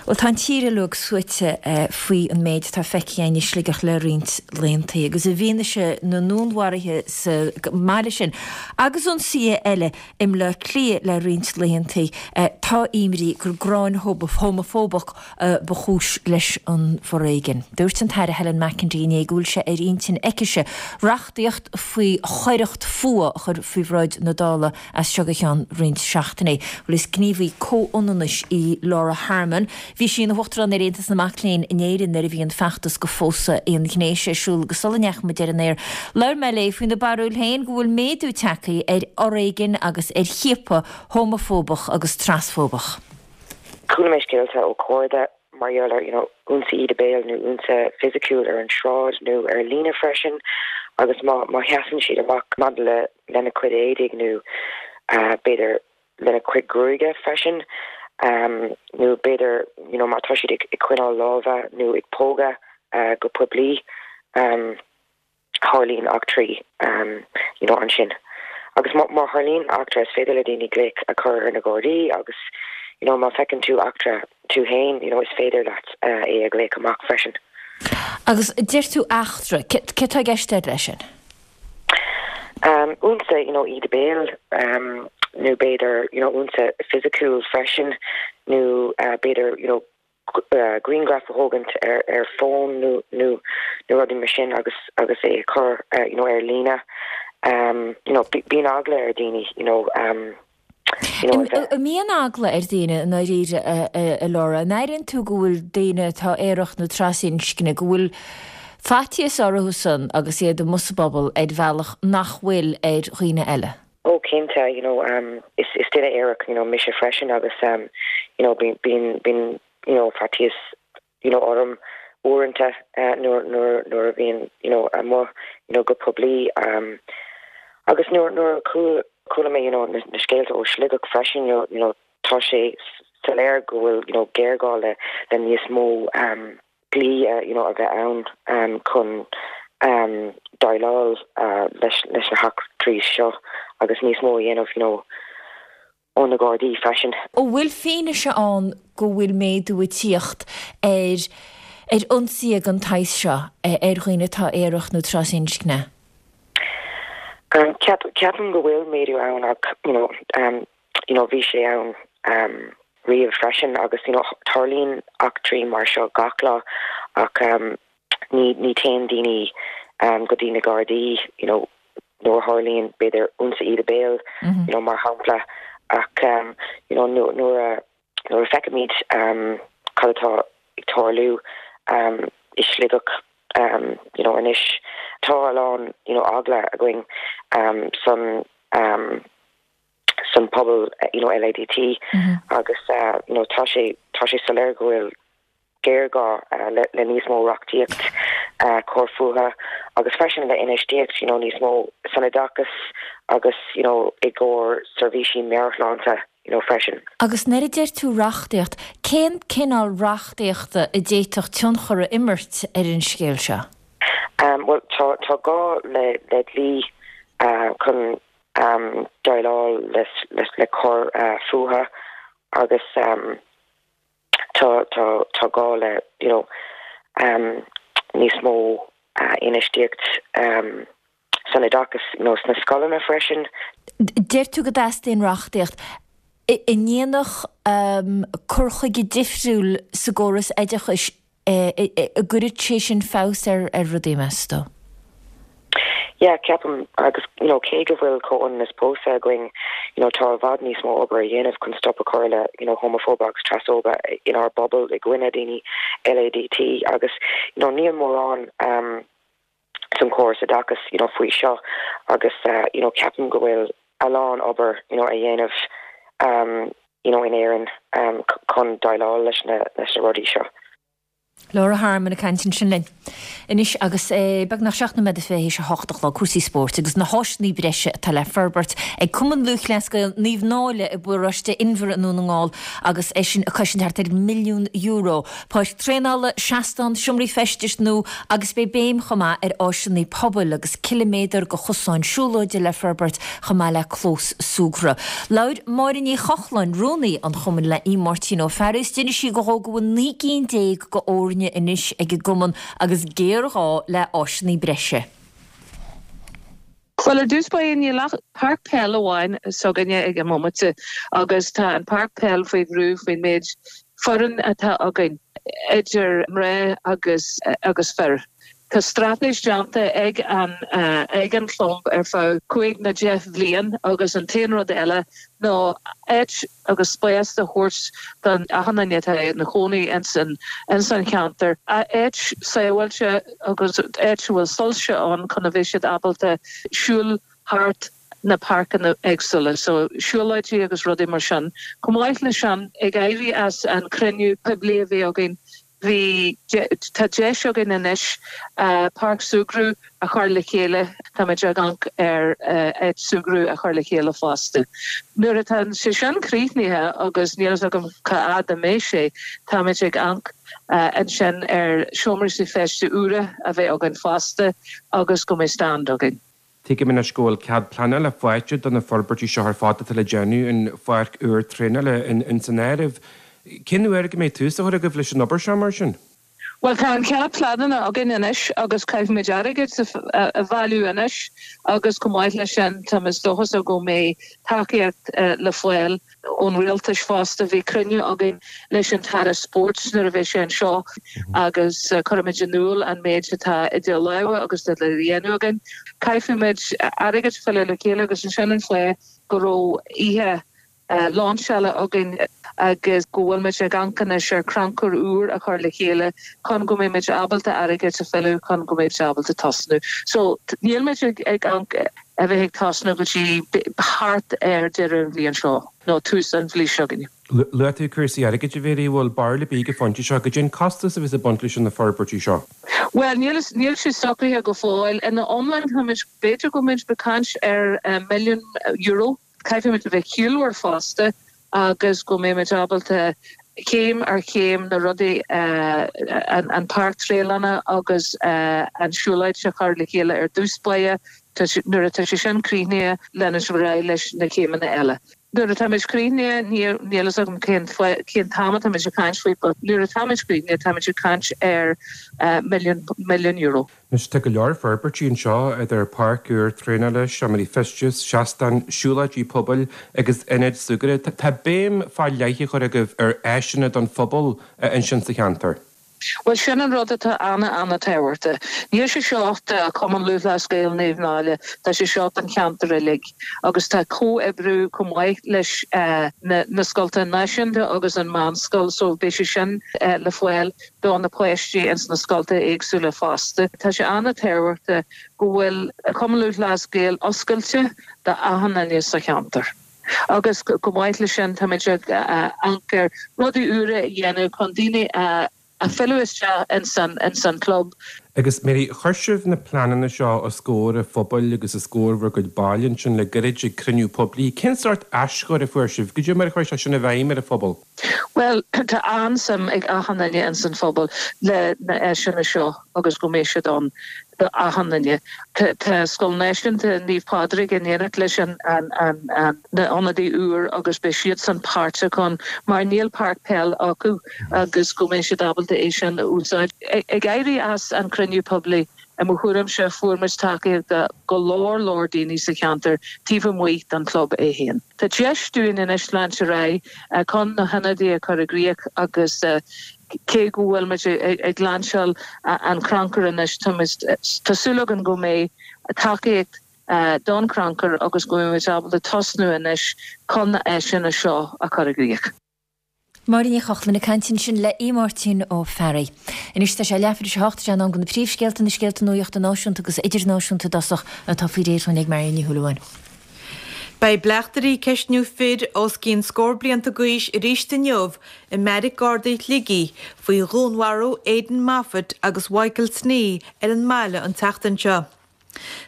Bhuel, tá an tír uilig suaite faoi an méid atá feicthe againn i Sligeach le roinnt laethanta, agus i bhfianaise na ndúnmharuithe sa mbaile sin agus ionsaithe eile I mBleá Cliath le roinnt laethanta, tá imní gur gráin homafóbach ba chúis leis an bhforéigean. Dúirt an tAire Helen McEntee inné go bhfuil sé ar intinn aicise reachtaíocht faoi choireacht fuatha a chur faoi bhráid na Dála as seo go ceann roinnt seachtainí. Bhuel, is gníomhaí comhionannais í Laura Harmon. Bhí sí ina huachtarán ar Aontas na Mac Léinn in Éirinn nuair a bhí an feachtas do phósadh aonghnéis ar siúl agus sula ndeachaigh muid ar an aer, labhair mé léi faoina barúil féin go bhfuil méadú tagtha ar fhoréigean agus ar chiapadh homafóbach agus trasfóbach. Chuala mé scéalta ó chairde mar gheall ar you know ionsaí íde béil nó ionsaí fisiciúil ar an sráid nó ar líne freisin agus má má sheasann siad amach maidir le lena cuid éadaigh nó b'fhéidir lena cuid gruaige freisin nó b'fhéidir you know má tá siad ag coinneáil lámha nó ag pógadh go poiblí tharlaíonn eachtraí you know ansin. Agus má má tharlaíonn eachtra is féidir le daoine glaoch a chur ar na Gardaí agus you know má feiceann tú eachtra tú féin you know is féidir leat é a ghlaoch amach freisin. Agus deir tú eachtra, céard atá i gceist leis sin? Ionsaí, you know, íde béil, nó b'fhéidir, you know, ionsaí fisiciúil freisin, nó b'fhéidir, you know, grianghraf a thógaint ar ar fón nó nó nó rudaí mar sin agus agus é a chur, you know, ar líne. You know, bíonn eagla ar daoine, you know. An mbíonn eagla ar dhaoine i ndáiríre, a Laura? An airíonn tú go bhfuil daoine atá aerach nó trasinscne, go bhfuil faitíos orthu san agus iad amuigh sa bpobal ar bhealach nach bhfuil ar dhaoine eile? Oh cinnte, you know, is duine aerach, you know, mise freisin agus, you know, bíonn, bíonn, you know, faitíos you know orm uaireanta nuair nuair nuair a bhíonn you know amuigh you know go poiblí agus nuair nuair a chuala. Chuala mé you know na scéalta ó Shligeach freisin you know tá sé soiléir go bhfuil you know géarghá le le níos mó um dlí you know a bheith ann um chun um déileáil uh leis leis na heachtraí seo agus níos mó a dhéanamh you know ó na Gardaí freisin. An bhfuil fianaise ann go bhfuil méadú ag tíocht ar ar ionsaithe den tsaghas seo ar dhaoine atá aerach nó trasinscne? Ceapaim go bhfuil méadú ann ach you know you know bhí sé ann riamh freisin agus you know tarlaíonn eachtraí mar seo gach lá ach ní ní téann daoine go dtí na Gardaí you know nuair a tharlaíonn b'fhéidir ionsaí íde béil you know mar shampla ach you know nuair a nuair a feicimid cad atá ag tarlú i Sligeach you know anois tá a lán you know eagla againn san san pobal you know LADT agus you know tá sé tá sé soiléir go bhfuil géarghá le níos mó reachtaíocht coir fuatha agus freisin le infheistíocht you know níos mó san oideachas agus you know i gcomhair seirbhísí meabhairshláinte you know freisin. Agus nuair a deir tú reachtaíocht, cén cineál reachtaíochta a d'fhéadfadh tionchar a imirt ar an scéal seo? Bhuel tá tá gá le le dlí chun déileáil le le coir fuatha agus tá tá tá gá le you know níos mó infheistíocht san oideachas you know sna scoileanna freisin. Deir tú go dteastaíonn reachtaíocht. An ndéanfadh cur chuige difriúil sa gcóras oideachais An gcuirfeadh sé sin feabhas ar rudaí, meas tú? Yeah, ceapaim, agus you know cé go bhfuil comhionannas pósta againn, you know tá i bhfad níos mó obair a dhéanamh chun stop a chur le you know homafóibe agus trasfhóibe inár bpobal i gcoinne daoine LADT agus you know níl mórán um san córas oideachais you know faoi seo agus you know ceapaim go bhfuil a lán obair you know a dhéanamh um you know in Éirinn um chun déileáil leis na leis na rudaí seo. Laura Harmon ag caint ansin linn. Anois agus é beagnach 7 nóiméad is 28 a chlog, cúrsaí spóirt agus na háiseanna breise atá le forbairt ag Cumann Lúthchleas Gael Naomh Náille i bparóiste Inbhir i nDún na nGall agus é sin ag cosaint thart ar mhilliún euro. Páirc traenála, seastán, seomraí feistis nua agus beidh béim chomh maith ar áiseanna pobail agus ciliméadar de chosáin siúlóide le forbairt chomh maith le clós súgartha. Labhair Máire Ní Chochláin, rúnaí an chumainn le Aodh Máirtín Ó Fearraigh is d'inis sí dhó go bhfuil 19 gcinn de fhoirne anois ag an gcumann agus géarghá le áiseanna breise. Bhuel, ar dtús báire, níl ach páirc peil amháin s'againne ag an mbomaite agus tá an páirc peil faoi bhrú faoin méid foireann atá againn, idir mná agus agus fir. Tá straitéis déanta ag an ag an chlub ar feadh 5 nó 10 bhliain agus an t-aon rud eile ná áit agus spás a thabhairt don achan duine atá ina chónaí ins an ins an cheantar, áit sábháilte agus áit a bhfuil soilse ann chun a bheith siad ábalta siúl thart na páirceanna éagsúla, so siúlóidí agus rudaí mar sin. Chomh maith le sin, ag éirí as an cruinniú poiblí a bhí againn, bhí, tá deis againn anois páirc súgradh a chur le chéile, táimid ag amharc ar áit súgradh a chur le chéile fosta. Nuair atá sé sin críochnaithe, agus níl a fhios agam cá fhad a mbeidh sé, táimid ag amharc ansin ar seomraí feistis úra a bheith againn fosta agus go mbeidh stand againn. Tuigim anois go bhfuil cead pleanála faighte do na forbairtí seo ar fad atá le déanamh, an pháirc úr traenála ins an áireamh. Cén uair go mbeidh tús á chur agaibh leis an obair seo mar sin? Bhuel, tá an cead pleanála againn anois agus caithfimid airgead a bhailiú anois agus chomh maith leis sin tá mé dóchasach go mbeidh tacaíocht le fáil ón Rialtas fosta. Bhí cruinniú againn leis an tAire Spóirt nuair a bhí sé anseo agus chuirimid in iúl an méid atá idir lámha agus le dhéanamh againn. Caithfimid airgead a fhilleadh le chéile agus ansin an fáth go raibh oíche lainseála againn agus go bhfuilmid ag amharc anois ar chrannchur úr a chur le chéile chun go mbeimid ábalta airgead a fhilleadh chun go mbeimid ábalta tosnú. So nílmid ag amharc a bheith ag tosnú go dtí thart ar deireadh an bhliain seo nó tús an bhliain seo chugainn. Luaigh tú cúrsaí airgid, a Mhary, bhfuil barúil ar bith ag an phointe seo goidé an costas a bheas ag baint leis na forbairtí seo? Bhuel, níl, níl sé socraithe go fóill. Ina iomlán, táimid, b'fhéidir go mbeimid ag caint ar milliún euro. Caithfimid a bheith ciallmhar fosta agus go mbeimid ábalta céim ar chéim na rudaí, an páirc traenála agus an siúlóid a chur le chéile ar dtús báire. Nuair atá sé sin críochnaithe, leanfaimid ar aghaidh leis na céimeanna eile. Nuair atáimid críochnaithe, níl fhios agam cén cén t-am atáimid ag caint faoi, but nuair atáimid críochnaithe, táimid ag caint ar milliún, milliún euro. Anois tá go leor forbairtí anseo, idir páirc úr traenála, seomraí feistis, seastáin, siúlóidí pobail agus ionaid súgartha. Tá béim fá leith á chur agaibh ar áiseanna don phobal ansin sa cheantar. Bhuel, sin an rud atá ana-ana-tábhachtach. Níl sé seo do Chumann Lúthchleas Gael Naomh Náille, tá sé seo don cheantar uilig agus tá comhoibriú chomh maith leis na scolta náisiúnta agus an meánscoil so beidh sé sin le fáil do na páistí ins na scolta éagsúla fosta. Tá sé ana-tábhachtach go bhfuil Cumann Lúthchleas Gael oscailte do achan duine sa cheantar. Agus chomh maith leis sin, táimid ag amharc ar rudaí úra a dhéanamh chun daoine a fhilleadh isteach ins an club. Agus Mary, chuir sibh na pleananna seo os comhair an phobail agus os comhair bhur gcuid ball ansin le gairid ag cruinniú poiblí. Cén sórt aischuir a fuair sibh? Goidé mar a chuir sé sin i bhfeidhm ar an phobal? Bhuel, tá an-suim ag achan duine ins an phobal le na áiseanna seo agus go mbeidh siad ann do achan duine. Tá Scoil Náisiúnta Naomh Pádraig in éineacht leis an na ionadaí úr agus beidh siadsan páirteach ann mar níl páirc peil acu agus go mbeidh siad ábalta é sin a úsáid. Ag éirí as an cruinniú poiblí, i mo thuairimse, fuair muid tacaíocht do go leor leor daoine sa cheantar taobh amuigh den chlub é féin. Tá deis dúinn anois leanúint ar aghaidh chun na hionadaí a chur i gcrích agus cé go bhfuil muid ag lainseáil an crannchur anois, tá súil againn go mbeidh tacaíocht don chrannchur agus go mbeidh muid ábalta tosnú anois chun na áiseanna seo a chur i gcrích. Máire Ní Chochlainn ag caint ansin le Aodh Máirtín Ó Fearraigh. Anois tá sé leathuair tar éis a hocht, is é in am do na príomhscéalta, na scéalta nuachta náisiúnta agus idirnáisiúnta i dtosach, atá faoi réir dhúinn ag Marion Ní Shúilleabháin. Beidh bleachtairí ag ceistniú fir os cionn scór blianta d'aois arís inniu i mBeairic Gardaí Shligigh faoi dhúnmharú Aidan Moffitt agus Mhichael Snee ar an mbaile an tseachtain seo.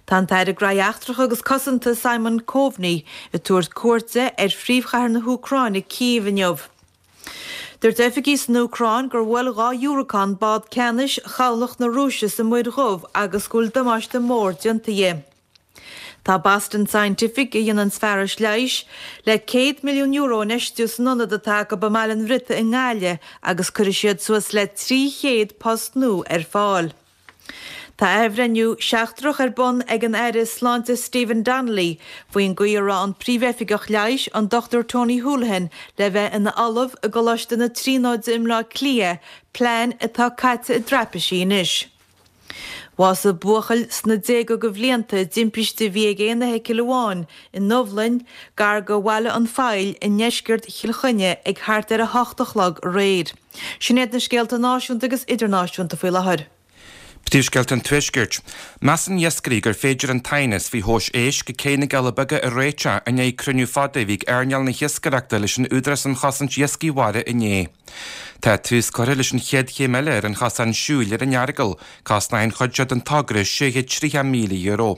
Tá an tAire Graithí Eachtracha agus Cosanta Simon Coveney ag tabhairt cuairte ar phríomhchathair na hÚcráine, Cív, inniu. Dúirt oifigigh san Úcráin gur bhuail 2 dhiúracán bád ceannais chabhlach na Rúise sa Muir Dhubh agus go bhfuil damáiste mór déanta di. Tá Boston Scientific, a dhéanann fearais leighis, le €100 milliún a infheistiú san ionad atá acu i mBaile an Bhriotaigh i nGaillimh agus cuirfidh siad suas le 300 post nua ar fáil. Tá athbhreithniú seachtrach ar bun ag an Aire Sláinte Stephen Donnelly faoin gcaoi a raibh an Príomhoifigeach Leighis, an Dr Tony Holohan, le bheith ina ollamh i gColáiste na Tríonóide i mBleá Cliath, plean atá caite i dtraipisí anois. Bhásaigh buachaill sna déaga de bhlianta i dtimpiste a bhí ag aon fheithicil amháin i nDubhlainn, gar do Bhaile an Phoill i ndeisceart Chill Chainnigh ag thart ar 8 a chlog aréir. Sin iad na scéalta náisiúnta agus idirnáisiúnta faoi láthair. Príomhscéalta an Tuaiscirt. Measann iascairí gur féidir an t-aighneas faoi thomhais éisc ag Cé na gCealla Beaga a réiteach i ndiaidh cruinniú fada a bhí ag earnáil na hiascaireachta leis an Údarás um Chosaint Iascaigh Mhara inné. Tá tús curtha leis an chéad chéim eile ar an chosán siúil ar an Earagail, cosnóidh an chuid seo den togra €630,000.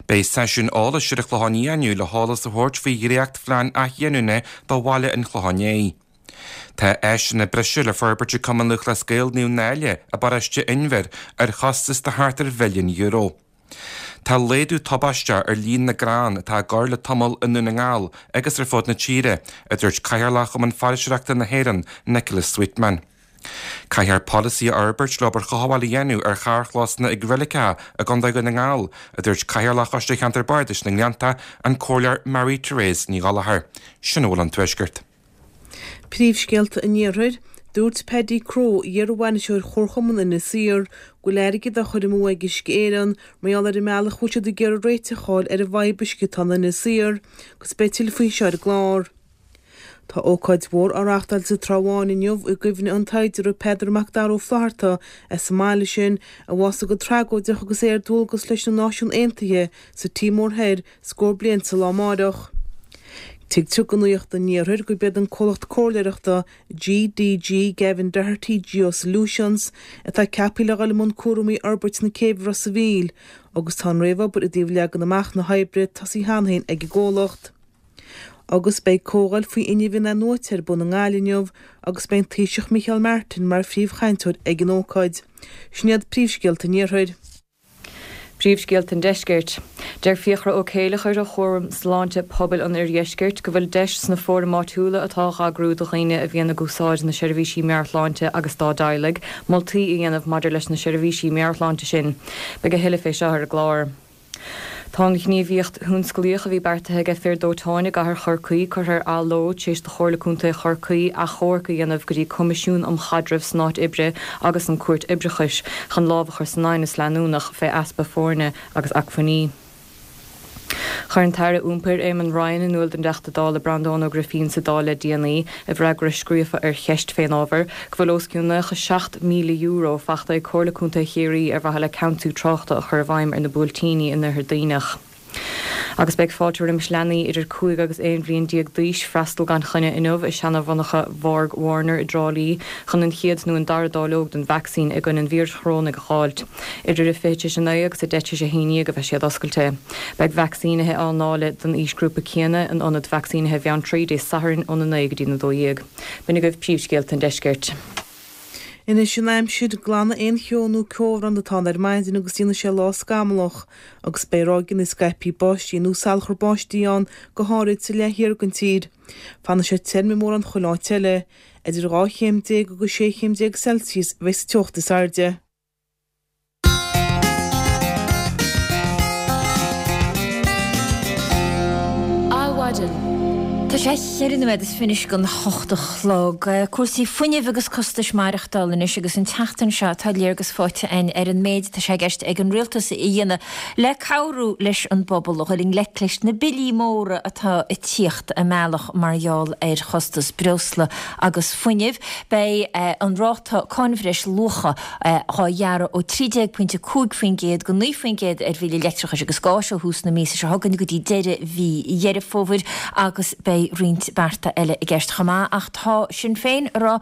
Beidh seisiún eolais ar an Chlochán Liath inniu le heolas a thabhairt faoi dhréachtphlean athghiniúna do bhaile an Chlocháin Léith. Tá áiseanna breise le forbairt ag Cumann Lúthchleas Gael Naomh Náille i bparóiste Inbhir ar chostas de thart ar mhilliún euro. Tá laghdú tubaisteach ar líon na gcrann atá á gcur le tamall i nDún na nGall agus ar fud na tíre, a dúirt Cathaoirleach Chumann Foraoiseoireachta na hÉireann, Nicholas Sweetman. Caithfear polasaí a fhorbairt le obair chothabháil a dhéanamh ar charrchlósanna ag reiligeacha i gContae Dhún na nGall, a dúirt Cathaoirleach Choiste Cheantar Bardais na nGleannta, an Comhairleoir Mary Therese Ní Ghallchóir. Sin a bhfuil ón Tuaisceart. Príomhscéalta an Iarthair, Dúirt Paddy Crowe, iar-bhainisteoir Chomharchumann Inis Oírr, go bhfuil airgead á chur amú ag Uisce Éireann mar gheall ar an mbealach a bhfuil siad ag iarraidh réiteach a fháil ar an bhfadhb uisce atá in Inis Oírr, agus beidh tuilleadh faoi seo ar an gclár. Tá ócáid mhór á reáchtáil sa Trá Bháin inniu i gcuimhne an tsaighdiúra Peadar Mac Dara Ó Flaithearta as an mbaile sin, a bhásaigh go tragóideach agus é ar dualgas leis na Náisiúin Aontaithe sa Tíomór Thoir scór bliain sa lá amáireach. Tuigtear do Nuacht an Iarthair gurb iad an comhlacht comhairleoireachta GDG Gavin Doherty Geosolutions atá ceaptha le dhul i mbun cúraimí fhorbairt na céibhe Ros a' Mhíl agus tá an réamhobair i dtaobh leagan amach na hoibre tosaithe cheana féin ag an gcomhlacht. Agus beidh comhdháil faoi fhuinneamh in-athnuaite ar bun i nGaillimh inniu agus beidh an Taoiseach Micheál Martin mar phríomhchainteoir ag an ócáid. Sin iad príomhscéalta an Iarthair. Príomhscéalta an Deiscirt. Deir Fiachra Ó Céileachair ó Chúram Sláinte Pobail an Oirdheiscirt go bhfuil deis sna fóraim áitiúla atá á eagrú do dhaoine a bhíonn ag úsáid na seirbhísí meabhairshláinte agus dá dteaghlaigh, moltaí a dhéanamh maidir leis na seirbhísí meabhairshláinte sin. Beidh a thuilleadh fé seo ar an gclár. Tá an ghníomhaíocht thionsclaíoch a bhí beartaithe ag fir dóiteáin i gcathair Chorcaí curtha ar athló tar éis do Chomhairle Contae Chorcaí achomharc a dhéanamh go dtí Coimisiún um Chaidreamh san Áit Oibre agus an Cúirt Oibreachais chun lámh a chur san aighneas leanúnach fé easpa foirne agus acmhainní. Chuir an tAire Iompair, Eamon Ryan, in iúl don dTeachta Dála Breandán Ó Grifín sa Dáil le déanaí, i bhfreagra scríofa ar cheist fén ábhar, go bhfuil os cionn €97,000 fachta ag Comhairle Contae Chiarraí ar mhaithe le ceansú tráchta a chur i bhfeidhm ar na Buailtíní in Oirthear Duibhneach. Agus beidh fáilte roimis leanaí idir 5 agus 11 bhliain d'aois freastal gan choinne inniu i seana-mhonarcha Bhorg Warner i dTrá Lí chun an chéad nó an dara dáileog den vacsaín i gcoinne an víris chorónaigh a dh'fháilt. Idir a 10 tar éis a 9 agus a 10 tar éis a 11 a bheidh siad oscailte. Beidh vacsaínithe á ndáileadh don aoisghrúpa céanna in ionad vacsaínithe Bheanntraí Dé Sathairn óna 9 go dtí na 12. B'in agaibh príomhscéalta an deiscirt. Anois an aimsir, glanfaidh aon cheo nó ceobhrán atá ann ar maidin agus déanfaidh sé lá scamallach, agus beidh ráigeanna scaipthe báistí nó salachar báistí ann, go háirid sa leath thiar den tír. Fanfaidh sé tirim i mórán chuile áit eile. Idir 12 chéim agus 16 chéim Celsius a bheidh sa teocht is airde. Adhmhaidin. Tá sé cheithre nóiméad is fiche don hocht a chlog. Cúrsaí fuinnimh agus costais maireachtála anois agus an tseachtain seo tá léargas faighte againn ar an méid atá sé i gceist ag an Rialtas a dhéanamh le cabhrú leis an bpobal a dhul i ngleic leis na billí móra atá ag tíocht a mbealach mar gheall ar chostas breosla agus fuinnimh. Beidh an ráta cáin bhreis luacha á ghearradh ó 13.5% go 9% ar bhillí leictreachais agus gáis ó thús na míosa seo chugainn go dtí deireadh mhí Dheireadh Fómhair agus beidh roinnt bearta eile i gceist chomh maith ach tá Sinn Féin ag rá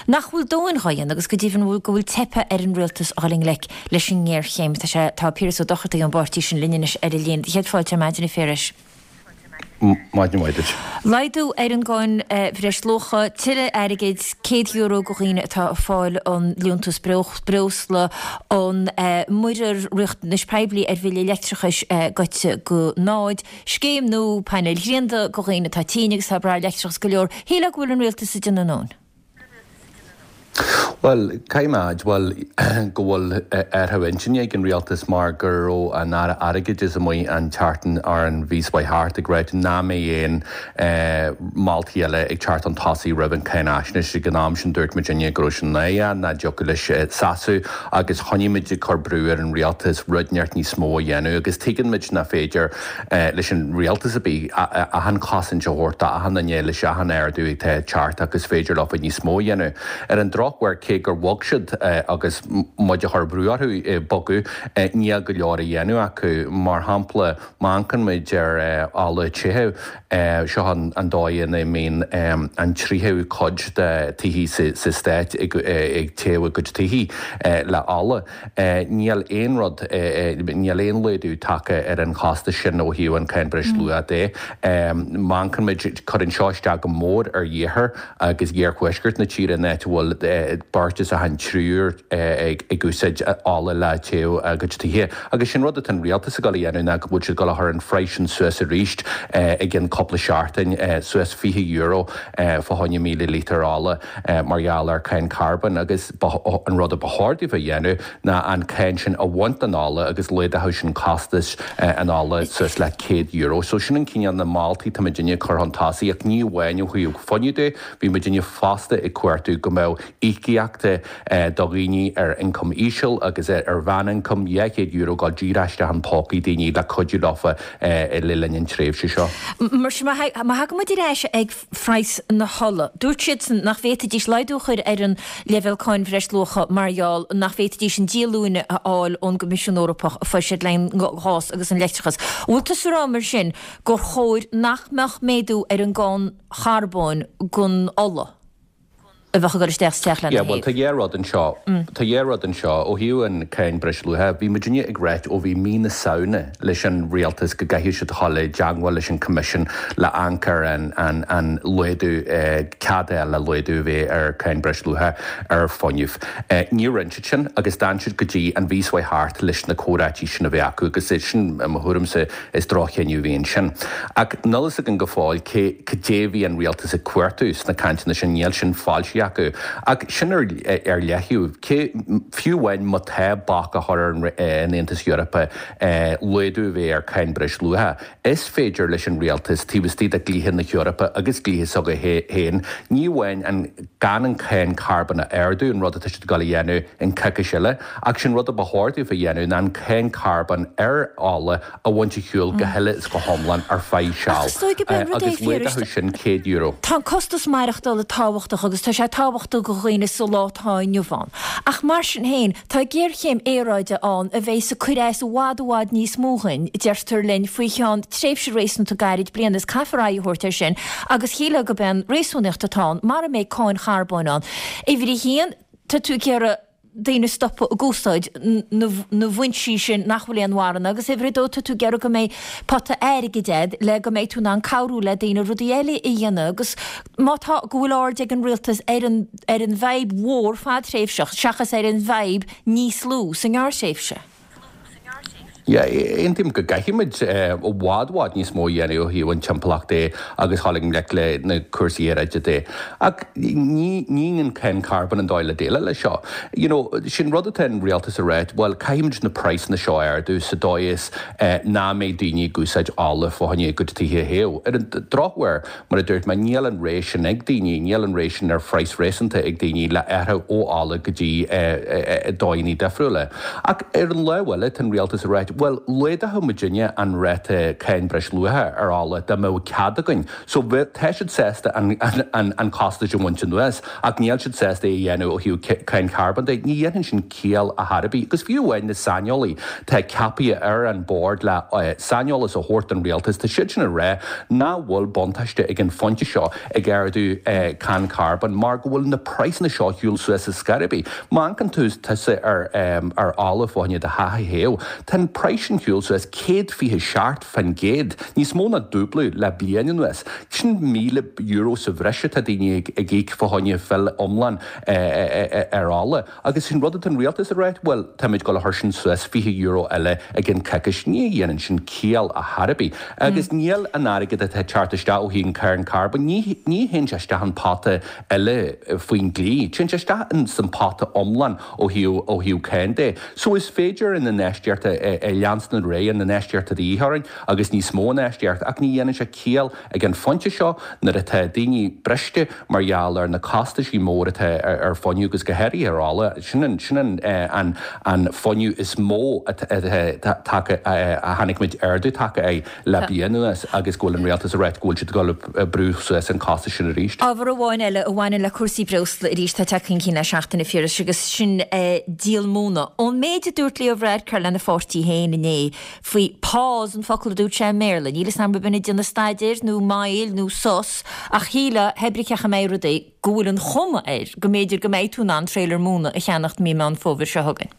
nach bhfuil dóthain dhá dhéanamh agus go deimhin go bhfuil teipthe ar an rialtas a dhul i ngleic leis an ngéarchéim. Tá sé, tá Piaras Ó Dochartaigh ón bpáirtí sin linn anois ar an líne. Céad fáilte ar maidin a Phiarais. Maidin mhaith duit. Laghdú ar an gcáin bhreisluacha, tuilleadh airgid, €100 do dhaoine atá ag fáil an liúntas breosla, an muirear riachtanais poiblí ar bhille leictreachais goite go náid, scéim nua painéil ghrianda do dhaoine atá tinn agus atá ag brath ar leictreachas go leor. Shílfeá go bhfuil an rialtas ag déanamh a ndóthain. Bhuel, caithfidh mé a admháil go bhfuil athrú intinne ag an rialtas mar go raibh an Aire Airgeadais amuigh an tseachtain ar an mhí seo thart ag ráit nach mbeidh aon moltaí eile ag teacht chun tosaigh roimh an cáinaisnéis. Ag an am sin dúirt muidinne go raibh sin náireach, nach dtiocfadh leis seasamh agus choinnigh muid ag cur brú ar an rialtas rud inteacht níos mó a dhéanamh agus tuigeann muid nach féidir leis an rialtas ar bith achan chosaint a thabhairt d'achan duine leis achan ardú atá ag teacht ach is féidir leofa níos mó a dhéanamh. Ar an drochuair, cé gur bhog siad agus muid ag cur brú orthu bogadh, níl go leor á dhéanamh acu. Mar shampla, má amharcann muid ar ola tithe, seo an dóigh ina mbíonn an tríú cuid de tithe sa stát ag téamh a gcuid tithe le ola. Níl aon rud, níl aon laghdú tagtha ar an chostas sin ó thaobh an cáin breisluacha de. Má amharcann muid, cuireann seo isteach go mór ar iarthar agus iarthuaisceart na tíre, an áit a bhfuil beirt as achan triúr ag úsáid ola le téamh a gcuid tithe. Agus sin rud atá an rialtas ag dul a dhéanamh ná go bhfuil siad ag dul a chur an phraghas sin suas arís i gcionn cúpla seachtain, suas €20 fá choinne 1,000 lítear ola mar gheall ar cáin carbóin agus an rud a ba chóir daofa a dhéanamh ná an cáin sin a bhaint den ola agus laghdódh sin costas an ola suas le €100. So sin an cineál na moltaí atá muidinne ag cur chun tosaigh ach ní amháin ó thaobh fuinnimh de, bhí muidinne fosta ag cuartú go mbeadh. Íocaíochta do dhaoine ar ioncam íseal agus ar mheánioncam, €200 ag dul díreach isteach in pócaí daoine le cuidiú leofa le linn an tréimhse seo. Mar sin, má thagann muid ar ais ag praghas na hola, dúirt siadsan nach bhféadfaidís laghdú a chur ar an leibhéal cáin bhreisluacha mar gheall nach bhféadfaidís an díolúine a fháil ón gCoimisiún Eorpach a fuair siad le an gás agus an leictreachas. An bhfuil tusa ag rá mar sin gur chóir nach mbeadh méadú ar an gcáin charbóin don ola? a bheadh ag dul isteach sa teach lena Yeah, bhuel, théamh. tá dhá rud anseo. Tá dhá rud anseo. Ó thaobh an cáin breisluacha, bhí muidinne ag ráit ó bhí mí na Samhna leis an rialtas go gcaithfeadh siad a dhul i dteangmháil leis an Coimisiún le amharc ar an, an, an laghdú, cead a fháil le laghdú a bheith ar cáin breisluacha ar fuinneamh. Níor rinne siad sin agus d'fhan siad go dtí an mhí seo thart leis na comhráití sin a bheith acu agus é sin, i mo thuairimse, Is droch-chinneadh a bhí ansin. Ach níl fhios againn go fóill cé cad é bhí an rialtas ag cuartú sna cainteanna sin, níl sin foilsithe acu. Ach sin ar ar leaththaobh, cé, fiú amháin má tá bac á chur ar an Aontas Eorpach laghdú a bheith ar cáin breisluacha, is féidir leis an rialtas, taobh istigh de dhlíthe na hEorpa agus dlíthe s'acu féin, ní amháin an gan an cáin carbóin a ardú, an rud atá siad ag dul a dhéanamh an coicís eile, ach sin rud a ba chóir daofa a dhéanamh ná an cáin carbóin ar ola a bhaint ar shiúl go huile is go hiomlán ar feadh Ach seal, is dóigh gurb é an rud é, agus a Phiarais, laghdódh sin €100. Tá an costas maireachtála tábhachtach agus tá sé tábhachtach do dhaoine sa lá atá inniu ann. Ach mar sin féin, tá géarchéim aeráide ann a bheidh ag cur as i bhfad i bhfad níos mó dhuinn, deirtear linn, faoi cheann tréimhse réasúnta gairid bliana is caithfear aghaidh a thabhairt air sin agus shílfeá gurb é an réasúnaíocht atá ann, mara mbeidh cáin charbóin ann, uimhir a haon, tá tú ag iarraidh daoine stopadh ag úsáid na bhfoinsí sin nach bhfuil aon mhaith iontu agus uimhir a dó tá tú ag iarraidh go mbeidh pota airgid a'd le go mbeidh tú in ann cabhrú le daoine rudaí eile a dhéanamh agus má tá go bhfuil aird ag an rialtas ar an ar an bhfadhb mhór fadtréimhseach seachas ar an bhfadhb níos lú sa ngearrthréimhse. Yeah, aontaím go gcaithfimid i bhfad bhfad níos mó a dhéanamh ó thaobh an timpeallacht de agus dhul i ngleic le na cúrsaí aeráide de. Ach ní ní an cáin carbóin an dóigh le déileáil leis seo. You know, sin rud atá an rialtas a ráit, bhuel, caithfimid na praghsanna seo a ardú sa dóigh is nach mbeidh daoine ag úsáid ola fá choinne a gcuid tithe a théamh. Ar an drochuair, Mar a dúirt mé, níl an rogha sin ag daoine, níl an rogha sin ar phraghas réasúnta ag daoine le athrú ó ola go dtí dóigheanna difriúla. Ach ar an lámh eile, tá an rialtas ag ráit, bhuel, laghdódh muidinne an ráta cáin breisluacha ar ola dá mbeadh cead againn. So, tá siad sásta an costas a bhaint anuas, ach níl siad sásta é a dhéanamh ó thaobh cáin charbóin de. Ní dhéanann sin ciall ar chor ar bith. Agus fiú amháin na saineolaí atá ceaptha ar an bord le saineolas a thabhairt don rialtas, tá siad sin ag rá nach bhfuil buntáiste ag an phointe seo ag ardú cáin charbóin mar go bhfuil na praghsanna seo ar shiúl suas ar scor ar bith. Má amharcann tú tusa ar ar ola fá choinne do theach a théamh, tá an praghas sin ar shiúl suas 127 fán gcéad, níos mó ná dúblú le bliain anuas. Sin €1,000 sa bhreis atá daoine ag íoc fá choinne fill iomlán ar ola. Agus sin rud atá an rialtas ag ráit, bhuel, táimid ag dul a chur sin suas €20 eile i gcionn coicís. Ní dhéanann sin ciall ar chor ar bith. Agus níl an airgead atá ag teacht isteach ó thaobh an cáin carbóin, ní ní théann sé isteach an pota eile faoin dlí. Téann sé isteach in san pota iomlán ó thaobh ó thaobh cáin de. So is féidir an infheistíocht a leanstan ar aghaidh, an infheistíocht atá de dhíth orainn agus níos mó infheistíocht ach ní dhéanann sé ciall Ag an phointe seo, nuair atá daoine briste mar gheall ar na costaisí mór atá ar fuinneamh agus go háirithe ar ola, sin an sin an an an fuinneamh is mó atá tagtha a chonaic muid ardú tagtha air le bliain anuas agus go bhfuil an rialtas ag ráit go bhfuil siad ag dul ag brú suas an costas sin arís. Ábhar amháin eile a bhaineann le cúrsaí breosla arís atá tagtha chun cinn le seachtain, a Phiarais, agus sin díol móna. Ón méid a dúirt Leo Varadkar lena pháirtí féin inné, faoi pause an focal a dúirt sé i mBéarla. Níl 'fhios a'm an b'in ag déanamh staidéir nó moill nó sos ach shílfeá, pé ar bith cén chaoi a mbeidh rudaí, go bhfuil an chuma air go mb'fhéidir go mbeidh tú in ann trailer móna a cheannacht mí Meán Fómhair seo chugainn.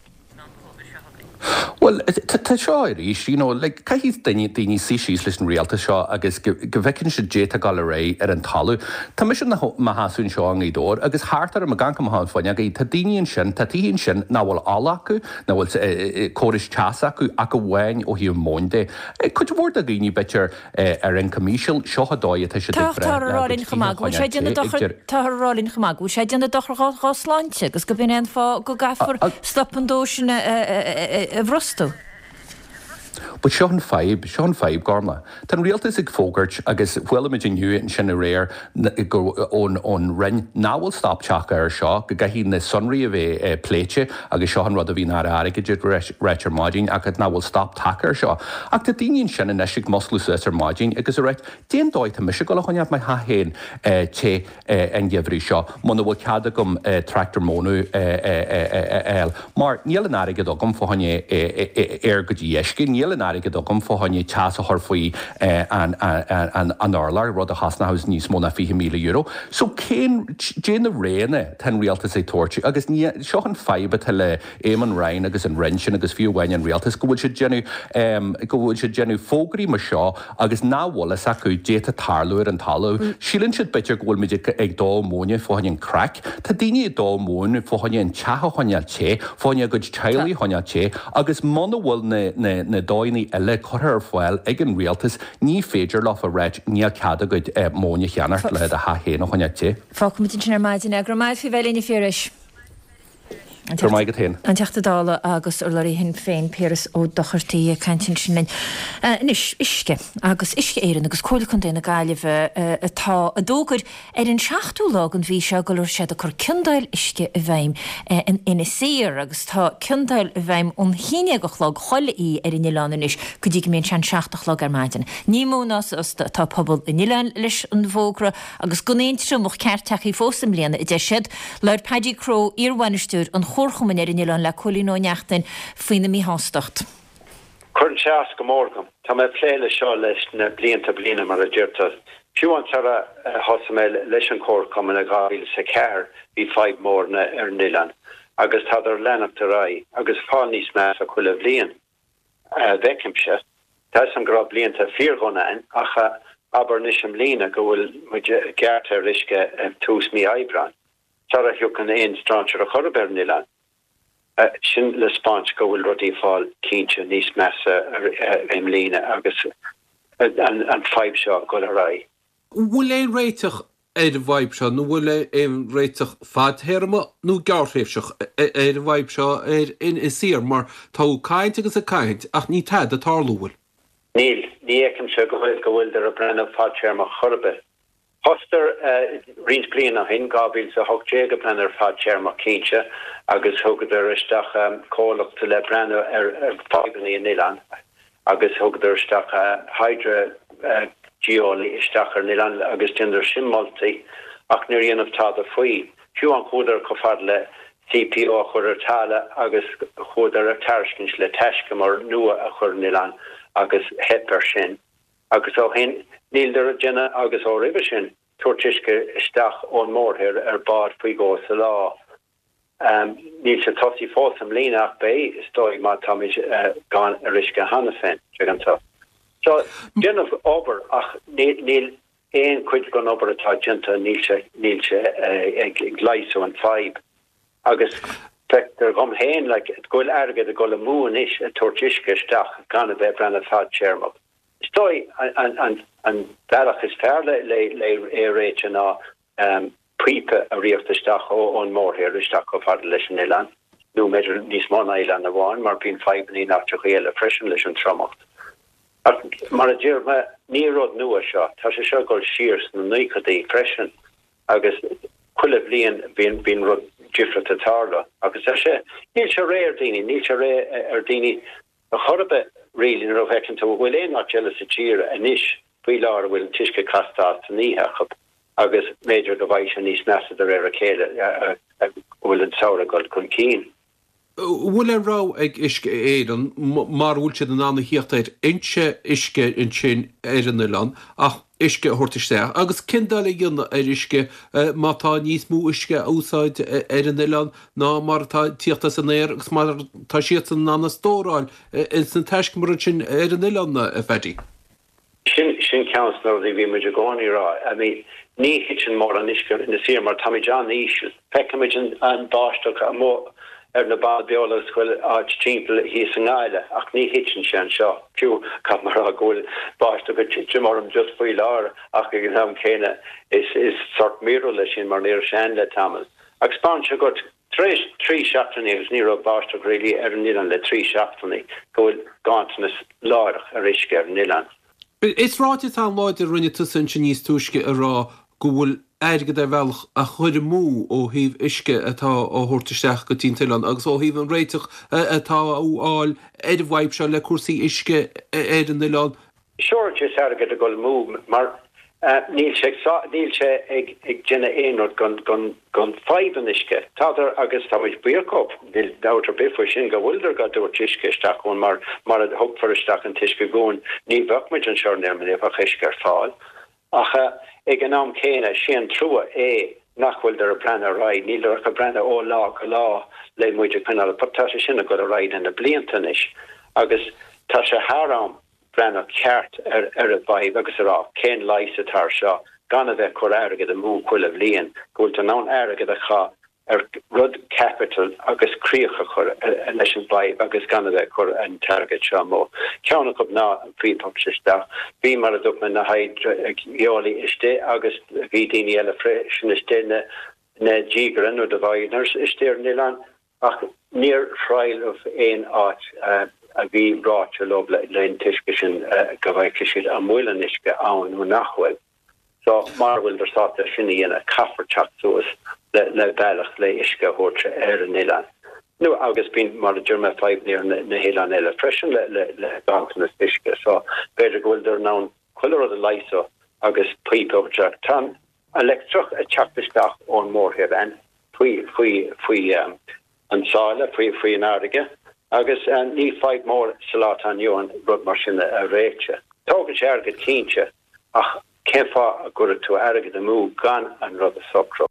Bhuel, tá seo arís, you know, like, caithfidh daoine, daoine suí síos leis an rialtas seo agus go, go bhfeiceann siad caidé atá ag dul ar aghaidh ar an talamh. Tá mise mo sheasamh anseo i nGaoth Dobhair agus thart orm ag amharc amach an fuinneog, tá daoine ansin, tá tithe ansin nach bhfuil ola acu, nach bhfuil córais teasa acu ach amháin ó thaobh móin de. Cuid mhór de dhaoine, b'fhéidir, ar ioncam íseal, seo an dóigh atá siad ag breith le a gcuid tithe a choinneáil te ag deireadh. Táthar a rá linn chomh maith go bhfuil sé ag déanamh dochar dhá sláinte agus go b'in é an fáth go gcaithfear stop an dó sin a bhrostú. But seo an fadhb, seo an fadhb, Gormlaith. Tá an rialtas ag fógairt, agus chuala muid inniu ansin aréir go, ón, ón Roinn, nach bhfuil stop tagtha air seo, go gcaithfidh na sonraí a bheith pléite, agus seo an rud a bhí an Aire Airgid ag ráit ar maidin, ach nach bhfuil stop tagtha air seo. Ach tá daoine ansin anois ag musclú suas ar maidin agus ag ráit, Cén dóigh tá mise ag dul a choinneáil mo theach féin te an geimhreadh seo muna bhfuil cead agam tractor móna a fháil mar níl an airgead agam fá choinne aer go dtí uisce, níl an airgead agam fá choinne teas a chur faoi an urlár, rud a chosnóchas níos mó ná €20,000. So cén, dé na roghanna tá an rialtas ag tabhairt agus ní, seo an fadhb atá le Eamon Ryan agus an Roinn sin agus fiú amháin an rialtas go bhfuil siad déanamh, go bhfuil siad déanamh fógraí mar seo agus nach bhfuil fhios acu dé tá tarlú ar an talamh. Síleann siad b'fhéidir go bhfuil muid ag dó móine fá choinne an craic. Tá daoine ag dó móin fá choinne an teach a choinneáil te, fá choinne a gcuid teaghlaigh a choinneáil te agus muna bhfuil na, na, na dóigheanna eile curtha ar fáil ag an rialtas ní féidir leofa ráit níl cead agat móin a cheannacht le do theach féin a choinneáil te. Fágfaimid ansin ar maidin é. Go raibh maith agat faoi bheith linn a Phiarais. Go raibh maith agat féin. An Teachta Dála agus urlabhraí Shinn Féin, Piaras Ó Dochartaigh ag caint ansin linn. Anois, uisce agus Uisce Éireann agus Comhairle Contae na Gaillimhe atá a d'fhógair ar an seachtú lá den mhí seo go raibh siad ag cur ciondáil uisce i bhfeidhm in Inis Oírr agus tá ciondáil i bhfeidhm ón haon déag a chlog chuile oíche ar an oileán anois go dtí go mbíonn sé an seacht a chlog ar maidin. Ní mó ná sásta atá pobal an oileáin leis an bhfógra agus gan aon triomach ceart tagtha fós i mbliana, a deir siad. Labhair Paddy Crowe, iarbhainisteoir an chomharchumainn ar an oileán le Cóilín Ó Neachtain faoina míshástacht. Cuireann sé as go mór dom. Tá mé ag plé leis seo leis na blianta bliana, mar a deirtear. Fiú amháin sara thosaigh mé leis an chomharchumann i 2004 bhí fadhb mór ar an oileán agus tádar ag leanacht ar aghaidh agus ag fáil níos measa chuile bhliain. a bhfeicimse. Tá 'fhios a'm go raibh blianta fíordhona a'inn ach abair anois i mbliana go bhfuil muid gearrtha ar uisce tús mí Aibreáin, sara thiocfainn aon strainséir ar chor ar bith ar an oileán. Sin le 'speáint go bhfuil rudaí ag fáil cinnte níos measa i mbliana agus an fadhb seo ag dul ar aghaidh. An bhfuil aon réiteach ar an bhfadhb seo, nó an bhfuil aon réiteach fadtéarma nó gearrthréimhseach ar an bhfadhb seo ar Inis Oírr? Mar tá caint agus ag caint ach níl tada ag tarlú, bhfuil? Níl. Ní fheicimse go bhfuil go bhfuiltear ag breathnú fadtéarmach chor ar bith. Thosaíodar roinnt bliain ó shin, 2018, ag breathnú ar fadtéarmach cinnte agus thugadar isteach comhlacht le breathnú ar fadhbanna an oileáin. agus thugadar isteach hydrogeolaí isteach ar an oileán agus déanadar sin moltaí ach níor dhéanamh tada faoi. Fiú amháin chuadar chomh fada le CPO a chur ar talamh agus chuadar ar tairiscint le taiscumar nua a chur ar an oileán agus theip ar sin. Agus ó shin níleadar ag déanamh agus ó roimhe sin tabhairt uisce isteach ón mórthír ar bád faoi dhó sa lá. Níl sé tosaithe fós i mbliana ach beidh, is dóigh, má táimid gann ar uisce cheana féin, tuigeann tú. So, déanamh obair ach níl aon chuid den obair atá déanta, níl sé, níl sé ag leigheasú an fadhb. Agus feictear dhom féin, like, go bhfuil airgead ag dul amú anois ag tabhairt uisce isteach gan a bheith ag breathnú fadtéarmach. Is dóigh an bealach is fearr le é a réiteach ná píopa a ritheacht isteach ón mórthír isteach chomh fada leis an oileán, nó b'fhéidir níos mó ná oileán amháin, mar bíonn fadhbanna in áiteacha eile freisin leis an triomacht. Ach mar a deir mé, ní rud nua seo, tá sé seo ag dul siar sna naochadaí freisin agus chuile bhliain bíonn bíonn rud difriúil ag tarlú. Agus tá sé, níl sé réidh ar daoine, níl sé réidh ar daoine Ar chor ar bith, really, nuair a fheiceann tú an bhfuil aon áit eile sa tír anois faoi láthair a bhfuil an t-uisce casta as san oíche acu agus b'fhéidir go bhfaighidh sé níos measa de réir a chéile go bhfuil an samhradh ag dul chun cinn. An bhfuil aon rogha ag Uisce Éireann, mara bhfuil siad in ann a thíocht ar fhoinse uisce ansin ar an oileán, ach uisce a thabhairt isteach? Agus ciondáil a dhéanamh ar uisce má tá níos mó uisce á úsáid ar an oileán ná mar atá ag tíocht as an aer agus mar atá siadsan in ann a stóráil ins na taiscumair ansin ar an oileán, a Phaddy. Sin, sin ceann de na rudaí a bhí muid i gcónaí a rá. I mean, ní thiteann mórán uisce ar Inis Oírr mar táimid an-íseal. Feicimid an, an báisteach amuigh ar na Beanna Beola agus chuile áit timpeall thíos i nGaillimh ach ní thiteann sé anseo. Fiú, caithfidh mé a rá go bhfuil báisteach ag titim orm just faoi láthair ach ag an am céanna is, is sort míorúilt é sin mar ní raibh sé ann le tamall. Ach 'spáineann sé go. Tar éis 3 seachtainí, agus ní raibh báisteach really ar an oileán le 3 seachtainí, go bhfuil ganntanas láithreach ar uisce ar an oileán. Is ráiteas an-láidir a rinne tusa ansin níos túisce a rá go bhfuil airgead ar bhealach á chur amú ó thaobh uisce atá á thabhairt isteach go dtí an t-oileán agus ó thaobh an réiteach atá á fháil ar an bhfadhb seo le cúrsaí uisce ar an oileán. Sure is airgead ag dul amú mar níl sé níl sé ag déanamh aon rud don fadhb an uisce. Tádar agus tá muid buíoch dhóibh, níl dabht ar bith faoi sin, go bhfuileadar dhá dtabhairt uisce isteach chugainn mar mara dtugfar isteach an t-uisce chugainn ní bheadh muid anseo ar an oileán mura mbeadh uisce ar fáil. Ach ag an am céanna sé an trua é nach bhfuileadar ag breathnú ar aghaidh, níleadar ach ag breathnú ó lá go lá le muid a choinneáil, but tá sé sin ag dul ar aghaidh le na blianta anois agus tá sé thar am breathnú ceart ar ar an bhfadhb agus a rá cén leigheas atá ar seo gan a bheith ag cur airgead amú chuile bhliain, go bhfuil tú in ann airgead a chaith ar rud capital agus críoch a chur leis an bhfadhb agus gan a bheith ag cur an t-airgead seo amú. Ceann acu ná an phíopa isteach. Bhí, mar a dúirt mé, na hidreolaí istigh agus bhí daoine eile freisin istigh, na na díogaire nó diviners istigh ar an oileán ach níor thriaileadh aon áit a bhí ráite leo le an t-uisce sin go bhfeicfidh siad an bhfuil an uisce ann nó nach bhfuil. So, mara bhfuileadar sásta sin a dhéanamh, caithfear teacht suas le le bealach le uisce a thabhairt ar an oileán. Nó, agus bíonn, mar a deir mé, fadhbanna ar na hoileáin eile freisin le le le ganntanas uisce. So, b'fhéidir go bhfuileadar in ann chuile rud a leigheasú agus píopa a thabhairt isteach. Tá an leictreach ag teacht isteach ón mórthír ann faoi faoi faoi an sáile, faoi faoi an fharraige agus ní fadhb mór sa lá atá inniu ann rud mar sin a réiteach. Tógann sé airgead cinnte Ach cén fáth a gcuirfeadh tú airgead amú gan an rud a socrú?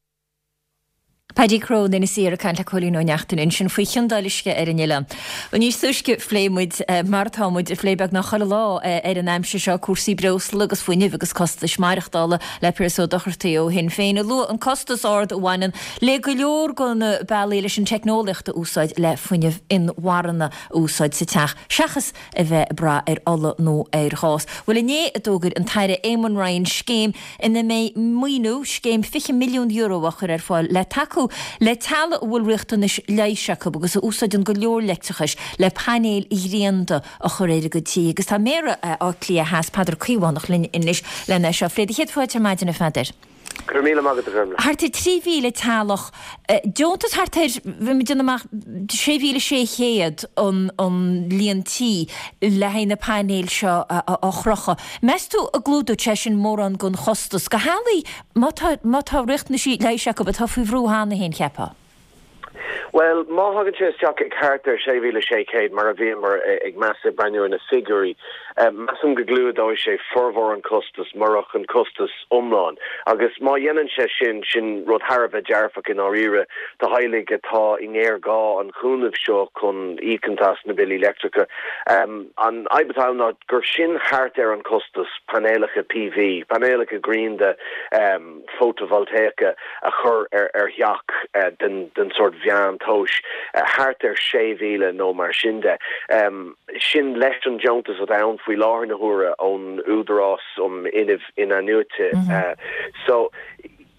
Paddy Crowe in Inis Oírr ag caint le Cóilín Ó Neachtain ansin faoi chiondáil uisce ar an oileán. Bhuel níos túisce phléigh muid, mar atá muid ag plé beagnach chuile lá ar an aimsir seo, cúrsaí breosla agus fuinnimh agus costais maireachtála le Piaras Ó Dochartaigh ó Shinn Féin a luaigh an costas ard a bhaineann le go leor de na bealaí leis an teicneolaíocht a úsáid le fuinneamh inmharthana a úsáid sa teach seachas a bheith ag brath ar ola nó ar ghás. Bhuel inné a d'fhógair an tAire Eamon Ryan scéim ina mbeidh maoiniú, scéim €20 milliún á chur ar fáil le tacú le teaghlaigh a bhfuil riachtanais leighis acu agus a úsáideann go leor leictreachais le painéil ghrianda a chur ar a gcuid tithe. Agus tá Méara Átha Cliath Theas, Peadar Caomhánach linn anois lena é seo a phlé. Do chéad fáilte ar maidin a Pheadair. Go raibh míle maith agat, a Ghormlaith. Thart ar 3,000 teaghlach, deontas thart ar, bhí mé ag déanamh amach, 6,600 an an líon tí le haghaidh na painéil seo a chrochadh. Meas tú an gclúdóidh sé sin mórán den chostas do theaghlaigh má tá má tá riachtanaisí leighis acu atá faoi bhrú cheana féin, cheapfá? Bhuel, má thagann sé isteach ag thart ar 6,600, mar a bhíomar ag meas ag breathnú ar na figiúirí, measaim go gclúdóidh sé formhór an chostais, murach an costas iomlán. Agus má dhéanann sé sin, sin rud thar a bheith dearfach i ndáiríre do theaghlaigh atá i ngéarghá an chúnaimh seo chun íocaint as na billí leictreacha. An fhadhb atá ann ná gur sin thart ar an chostas painéalacha PV, painéalacha grianda, fótavoltaíocha a chur ar theach den sórt mheántomhais, thart ar 6,000 nó mar sin de. Sin leis an deontas atá ann faoi láthair na huaire ón Údarás um Fhuinneamh Inathnuaite. So,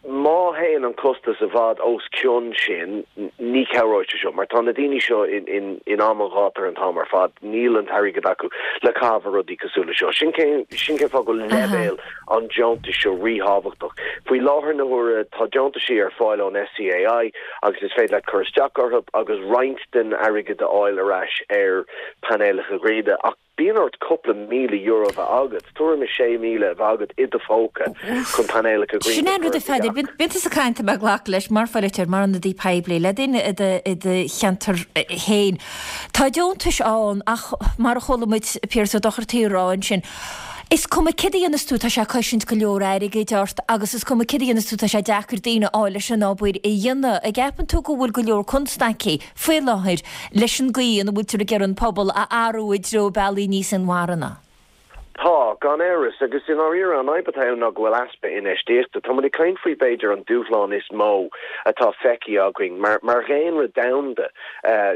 má théann an costas i bhfad os cionn sin, ní chabhróidh sé seo, mar tá na daoine seo in am an ghátair an t-am ar fad, níl an t-airgead acu le caitheamh ar rudaí cosúil le seo. Sin cén fáth go bhfuil leibhéal an deontais seo ríthábhachtach. Faoi láthair na huaire tá deontaisí ar fáil ón SEAI agus is féidir leat cur isteach orthu agus roinnt den airgead a fháil ar ais ar painéalacha gréine ach bíonn ort cúpla €1,000 a bheith agat, tuairim is 6,000 a bheith agat i do phóca chun painéalacha gréine Sin a é an chur rud ar a do Pheadair, theach. bíonn tusa ag caint, tá mé ag glacadh leis, mar pholaiteoir, mar ionadaí poiblí, le daoine i do cheantar féin. Tá deontais ann ach mar a chuala muid Piaras Ó Dochartaigh a rá ansin, Is cuma céard a dhéanas tú, tá sé ag cosaint go leor airgid ort agus is cuma céard a dhéanas tú, tá sé deacair daoine a fháil leis an obair a dhéanamh. An gceapann tú go bhfuil go leor constaicí faoi láthair leis an gcaoi ina bhfuiltear ag iarraidh an pobal a athrú i dtreo bealaí níos inmharthana? Tá, gan amhras, agus i ndáiríre an fhadhb atá ann ná go bhfuil easpa infheistíochta. Tá muid ag caint faoi b'fhéidir an dúshlán is mó atá feicthe againn mar mar dhaonra domhanda,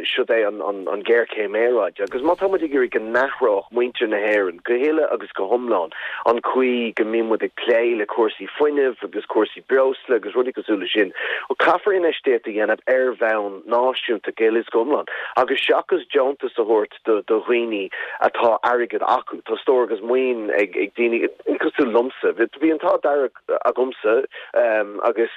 siod é an an ghéarchéim aeráide. Agus má tá muid ag iarraidh go n-athródh muintir na hÉireann go huile agus go hiomlán an chaoi go mbíonn muid ag plé le cúrsaí fuinnimh agus cúrsaí breosla agus rudaí cosúil leis sin, caithfear infheistíocht a dhéanamh ar bhonn náisiúnta go huile is go hiomlán agus seachas deontas a thabhairt do dhaoine atá airgead acu. Tá stór agus maoin ag daoine cosúil liomsa. Bhí an t-ádh dearg agamsa agus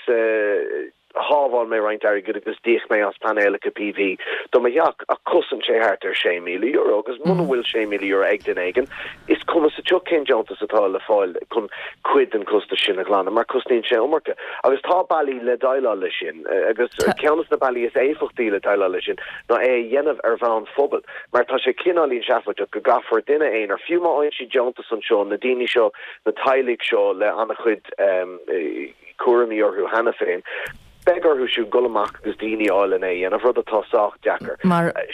shábháil mé roinnt airgid agus d'íoc mé as painéalacha PV do mo theach ach chosain sé thart ar €6,000 agus muna bhfuil €6,000 ag duine éigin is cuma sa tsioc cén deontas atá le fáil chun cuid den chostas sin a ghlanadh mar cosnaíonn sé iomarca. Agus tá bealaí le déileáil leis sin agus ceann de na bealaí is éifeachtaí le déileáil leis sin ná é a dhéanamh ar bhonn phobail, mar tá sé cineáilín seafóideach go gcaithfear duine aonair, fiú má fhaigheann siad deontas anseo, na daoine seo, na teaghlaigh seo le an-chuid cúraimí orthu cheana féin, beidh orthu siúd dul amach agus daoine a fháil lena é a dhéanamh, rud atá sách deacair.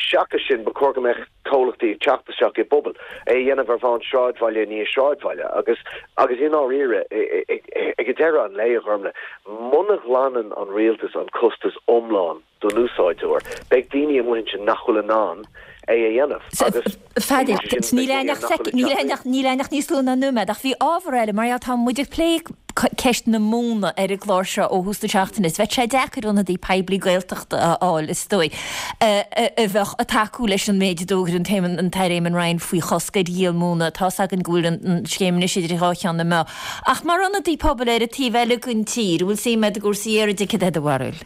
Seachas sin, ba chóir go mbeadh comhlachtaí ag teacht isteach i bpobail, é a dhéanamh ar bhonn sráidbhaile i ndiaidh sráidbhaile agus, agus i ndáiríre, ag deireadh an lae, a Ghormlaith, muna ghlanann an rialtas an costas iomlán, don úsáideoir. Beidh daoine amuigh ansin nach bhfuil in ann é a dhéanamh agus Pheadair, níl aon ach sec, níl aon ach, níl aon ach níos lú ná nóiméad, ach bhí ábhar eile, mar gheall, tá muid ag plé ceist na móna ar an gclár seo ó thús na seachtaine, is bheadh sé deacair ionadaí poiblí Gaeltachta a fháil, is dóigh, a bheadh ag tacú leis an méid a d'fhógair an tAire, an tAire Eamon Ryan faoi chosc ar dhíol móna. Tá's againn go bhfuil an scéim anois idir dhá cheann na meá. Ach mar ionadaí pobail ar an taobh eile den tír, an bhfuil suim agat i gcúrsaí aeráide, cad é do bharúil?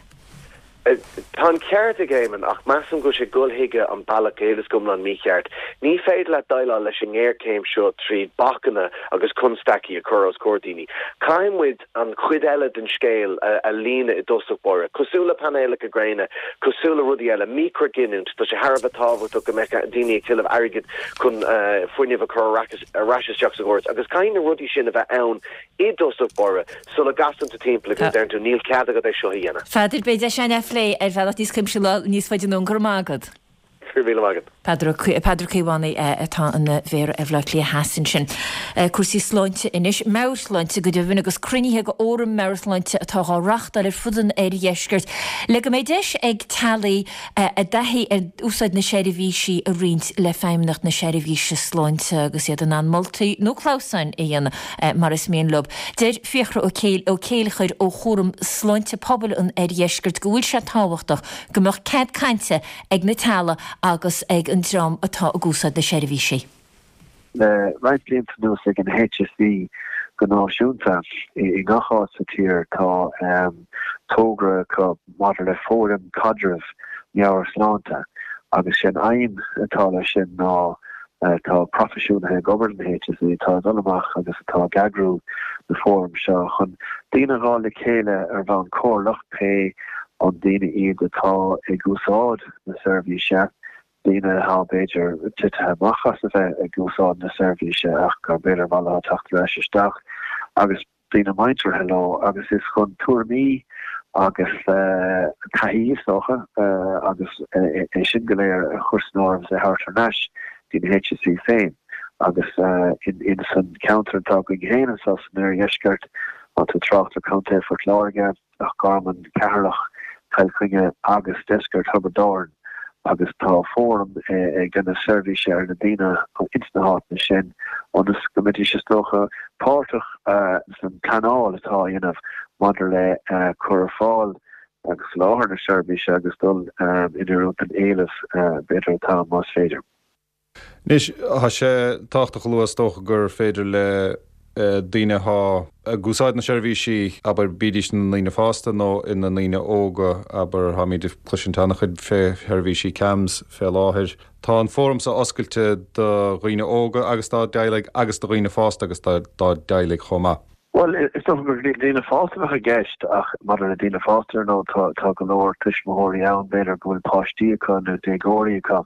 Tá an ceart ag Éamon, ach measaim go bhfuil sé ag dul chuige an bealach go huile is go hiomlán mícheart. Ní féidir leat déileáil leis an ngéarchéim seo tríd bacanna agus constaicí a chur os comhair daoine. Caithfidh muid an chuid eile den scéal a líonadh i dtosach báire. Cosúil le painéalacha gréine, cosúil le rudaí eile, micreaghiniúint, tá sé thar a bheith tábhachtach go mbeadh daoine ag tuilleamh airgid chun fuinneamh a chur ar ais isteach sa gcóras agus caithfidh na rudaí sin a bheith ann i dtosach báire, sula gcasann tú timpeall agus deireann tú, níl cead agat é seo a dhéanamh. Pheadair, beidh deis againn é a phlé ar bhealach níos cuimsithí lá níos faide anonn. Go raibh maith agat. Go raibh míle maith agat. Peadar Ó Caomhánaigh atá ina Mhéara ar Bhaile Átha Cliath Theas ansin. Cúrsaí sláinte anois, meabhairshláinte go deimhin, agus cruinnithe de fhóraim meabhairshláinte atá dhá reáchtáil ar fud an oirdheiscirt le go mbeidh deis ag teaghlaigh a dtaithí ar úsáid na seirbhísí a roinnt le Feidhmeannacht na Seirbhíse Sláinte agus iad in ann moltaí nó clamhsáin a dhéanamh mar is mian leo. Deir Fiachra Ó Céilleachair ó Chúram Sláinte Pobail an Oirdheiscirt go bhfuil sé tábhachtach go mbeadh cead cainte ag na teaghlaigh agus ag an dream atá ag úsáid na seirbhísí. Le roinnt blianta anuas ag an HSE go náisiúnta, i ngach áit sa tír, tá togra acu maidir le fóraim caidrimh meabhairshláinte agus sé an aidhm atá leis sin ná tá proifisiúnaithe ag obair don HSE atá ag dul amach agus atá ag eagrú na fóraim seo chun daoine a fháil le chéile ar bhonn comhairleach, pé an daoine iad atá ag úsáid na seirbhíse, daoine atá b'fhéidir titithe amach as a bheith ag úsáid na seirbhíse ach gur b'fhéidir mhaith leo teacht ar ais isteach agus daoine muinteartha leo agus is chun tuairimí agus taithí is dócha agus é sin go léir a chur san áireamh is é a thabhairt thar n-ais dtí na HSE féin agus in san ceantar atá againn féin anseo san oirdheisceart, tá tú ag trácht ar Contae Phort Láirge. Loch Garman, Ceatharlach, Cill Chainnigh agus deisceart Thiobraid Árann agus tá fóram ag déanamh seirbhíse ar na daoine ins na háiteanna sin ionas go mbeidís is dócha páirteach san pleanáil atá á dhéanamh maidir le cur ar fáil agus soláthar na seirbhíse agus dul in oiriúint don éileamh b'fhéidir atá ann más féidir. Anois, tá sé tábhachtach a lua is dócha gur féidir le daoine atá ag úsáid na seirbhísí, abair, bídís ina ndaoine fásta nó ina ndaoine óga, abair, táimid ag cloisint an-chuid fé sheirbhísí CAMHS fé láthair. Tá an fóram seo oscailte do dhaoine óga agus dá dteaghlaigh agus do dhaoine fásta agus dá dteaghlaigh chomh maith. Bhuel, is dócha gur daoine fásta a bheadh i gceist ach maidir le daoine fásta, ar ndóigh, tá tá go leor tuismitheoirí ann, b'fhéidir, go bhfuil páistí acu nó déagóirí acu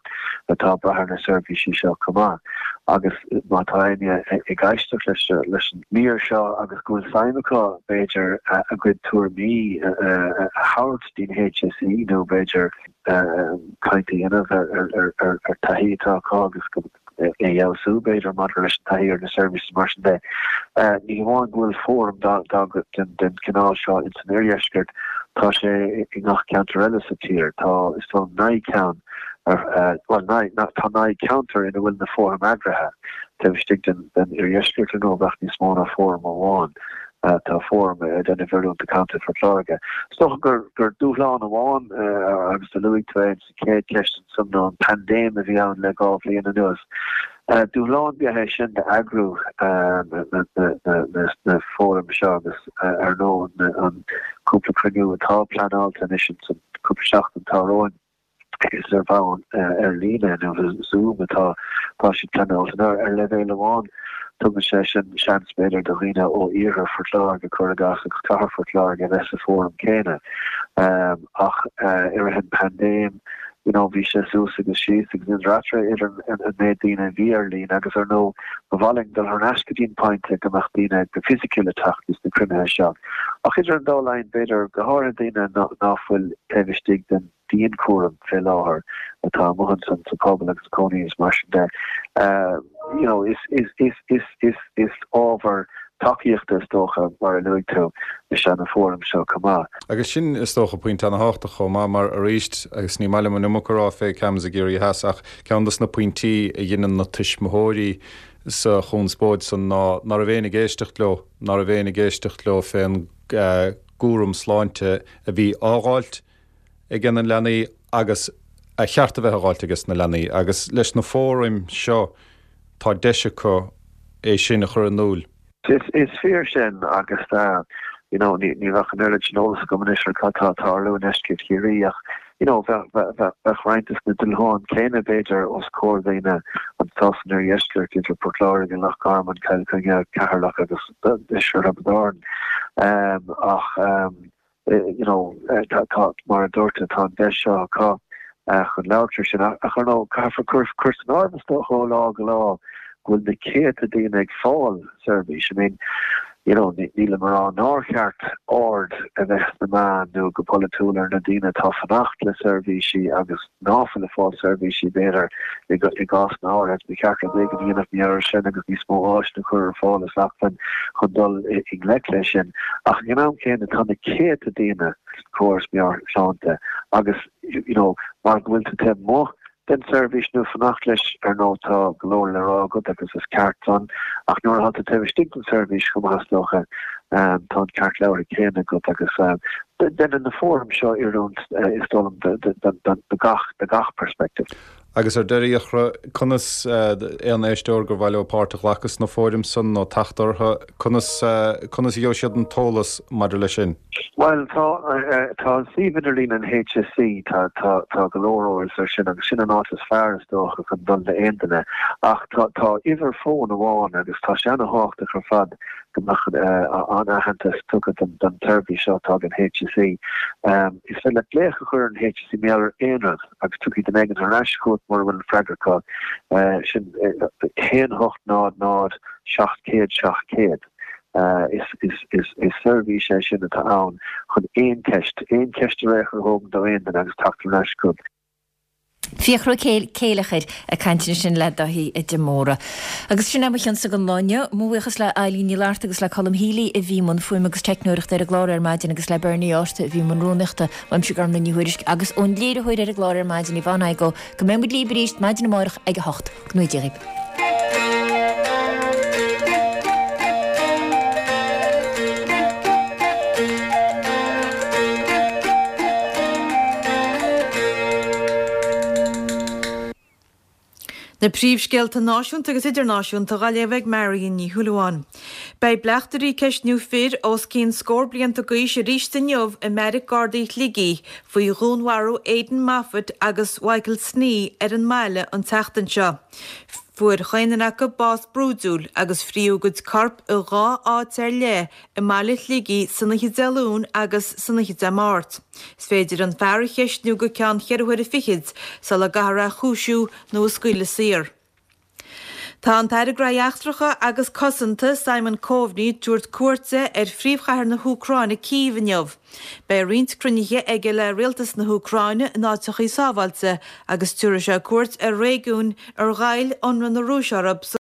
atá ag brath ar na seirbhísí seo chomh maith. Agus má tá éinne ag éisteacht leis leis an mír seo agus go bhfuil suim acu, b'fhéidir, a gcuid tuairimí a thabhairt dtí'n HSE nó b'fhéidir caint a dhéanamh ar ar ar taithí atá acu agus go. é a fheabhsú, b'fhéidir, maidir leis an taithí ar na seirbhísí mar sin de. Ní hamháin go bhfuil fóram den chineál seo ins an oirdheisceart, tá sé i ngach ceantar eile sa tír. Tá, is dóigh liom, 9 ceann, bhuel, tá 9 ceantar ina bhfuil na fóraim eagraithe taobh istigh den oirdheisceart, ar ndóigh, bheadh níos mó ná fóram amháin. Tá fóram ag déanamh oiriúint do Contae Phort Láirge. Is dócha gur dúshlán amháin, agus do luaigh tú é ins an chéad cheist ansan, ná an paindéim a bhí ann le 2 bhliain anuas. Dúshlán ab ea é sin d'eagrú na fóraim seo agus ar ndóigh an cúpla cruinniú atá pleanáilte anois ins an cúpla seachtain atá romhainn. Is ar bhonn ar líne nó Zoom atá tá siad pleanáilte. Now ar leibhéal amháin tugann sé sin seans b'fhéidir do dhaoine ó iarthar Phort Láirge, cuir i gcás, agus cathair Phort Láirge a bheith sa bhfóram céanna. Ach i rith an paindéim you know bhí sé suas agus síos agus idir eatarthu idir an méid daoine a bhí ar líne agus ar ndóigh ba mhaith linn dul thar n-ais go dtí an pointe go mbeadh daoine go fisiciúil ag teacht dos na cruinnithe seo. Ach idir an dá linn b'fhéidir go háirithe daoine ná fuil taobh istigh den dianchúram fé láthair atá amuigh ansan sa phobal agus cónaí is mar sin de. You know, is, is, is, is, is, is ábhar tacaíochta is dócha, mar a luaigh tú, is ea na fóraim seo chomh maith. Agus sin, is dócha, pointe ana-thábhachtach chomh maith, mar arís, agus ní maith liom an iomarca a rá fé CAMHS i gCiarraí Theas, ach ceann dos na pointí a dheineann na tuismitheoirí sa chonspóid san ná ná raibh éinne ag éisteacht leo, ná raibh éinne ag éisteacht leo fén gcúram sláinte a bhí á dh'fháilt ag na leanaí agus a cheart a bheith á dh'fháilt ages na leanaí agus leis na fóraim seo tá deis acu é sin a chur in iúil. Is fíor sin agus you know ní bheadh an oiread sin eolas agam anois ar cad tá ag tarlú i ndeisceart Chiarraí ach you know bheadh roinnt des na dúshláin céanna b'fhéidir os comhair daoine anseo san oirdheisceart idir Port Láirge, Loch Garman, Cill Chainnigh, Ceatharlach agus deisceart Thiobraid Árann ach you know, tá, mar a dúirt tú, tá an deis seo acu chun labhairt ar sin. Ach ar ndóigh, caithfear cur, cur san áireamh is dócha ó lá go lá go bhfuil na céadta daoine ag fáil seirbhís. I mean, you know, nílim a rá nár cheart aird a bheith sna meáin nó go polaitiúil ar na daoine atá fanacht le seirbhísí agus ná fuil ag fáil seirbhísí, b'fhéidir, i gcásanna áirithe. Ba cheart rud éigin a dhéanamh mar gheall air sin agus níos mó áiseanna a chur ar fáil is acmhainn chun dul i ngleic leis sin. Ach ag an am céanna, tá na céadta daoine sa chóras meabhairshláinte agus, you know, mar go bhfuil tú taobh amuigh den tseirbhís nó fanacht leis, ar ndóigh, tá go leor le rá agat agus is ceart san, ach nuair atá tú taobh istigh den tseirbhís chomh maith is dócha, tá an ceart labhartha céanna agat agus déanann na fóraim seo oiriúint, is dóigh liom, do gach, do gach perspective. Agus ar deireadh, a Fhiachra, conas, aon éisteoir gur mhaith leo páirt a ghlacadh sna fóraim san nó teacht orthu, conas, conas a gheobhaidh siad an t-eolas maidir leis sin? Bhuel, tá, tá an suíomh idirlín an HSE, tá, tá, tá go leor eolas ar sin agus sin an áit is fearr is dócha chun dul d'aon duine. Ach tá, tá uimhir fóin amháin agus tá sé ana-thábhachtach ar fad go mbeadh an-aitheantas tugtha don tseirbhís seo atá ag an HSE. Is féidir leat glaoch a chur ar an HSE mar gheall ar aon rud agus tiocfaidh duine éigin thar n-ais chugat mura bhfuil an freagra acu. Sin 1 8 0 0 700 700. Is seirbhís é sin atá ann chun aon cheist, aon cheist ar aon chor a thógann do aon duine agus teacht thar n-ais chugat. Fiachra Ó Céileachair ag caint ansin le Dáithí de Mórdha. Agus sin é mo chionsa don lá inniu. Mo bhuíochas le Eilín Ní Fhlatharta agus le Colm Healy a bhí i mbun fuaime agus teicneoireachta ar an gclár ar maidin agus le Bernie Ásta a bhí i mbun rúnaíochta. Uaimse Gormlaith Ní Thuairisg agus ón léiritheoir ar an gclár ar maidin Yvonne Igoe go mbeidh muid libh arís maidin amárach ag 8. Go ngnóthaí Dia dhaoibh. Na príomhscéalta náisiúnta agus idirnáisiúnta á léamh ag Marion Ní Shúilleabháin. Beidh bleachtairí ag ceistniú fir os cionn scór blianta d'aois arís inniu i mBeairic Gardaí Shligigh faoi dhúnmharú Aidan Moffitt agus Mhichael Snee ar an mbaile an tseachtain seo. Fuair chaon duine acu bás brúidiúil agus fríodh a gcuid corp i dha áit ar leith i mbaile Shligigh san oíche Dé Luain agus san oíche Dé Máirt. Is féidir an fear a cheistniú go ceann cheithre huaire fichid sula gcaithfear é a chúisiú nó a scaoileadh saor. Tá an tAire Gnóthaí Eachtracha agus Cosanta, Simon Coveney, ag tabhairt cuairte ar phríomhchathair na hÚcráine, Cív, inniu. Beidh roinnt cruinnithe aige le rialtas na hÚcráine in áiteachaí sábháilte agus tabharfaidh sé cuairt ar réigiúin ar ghoill ionradh na Rúise orthu.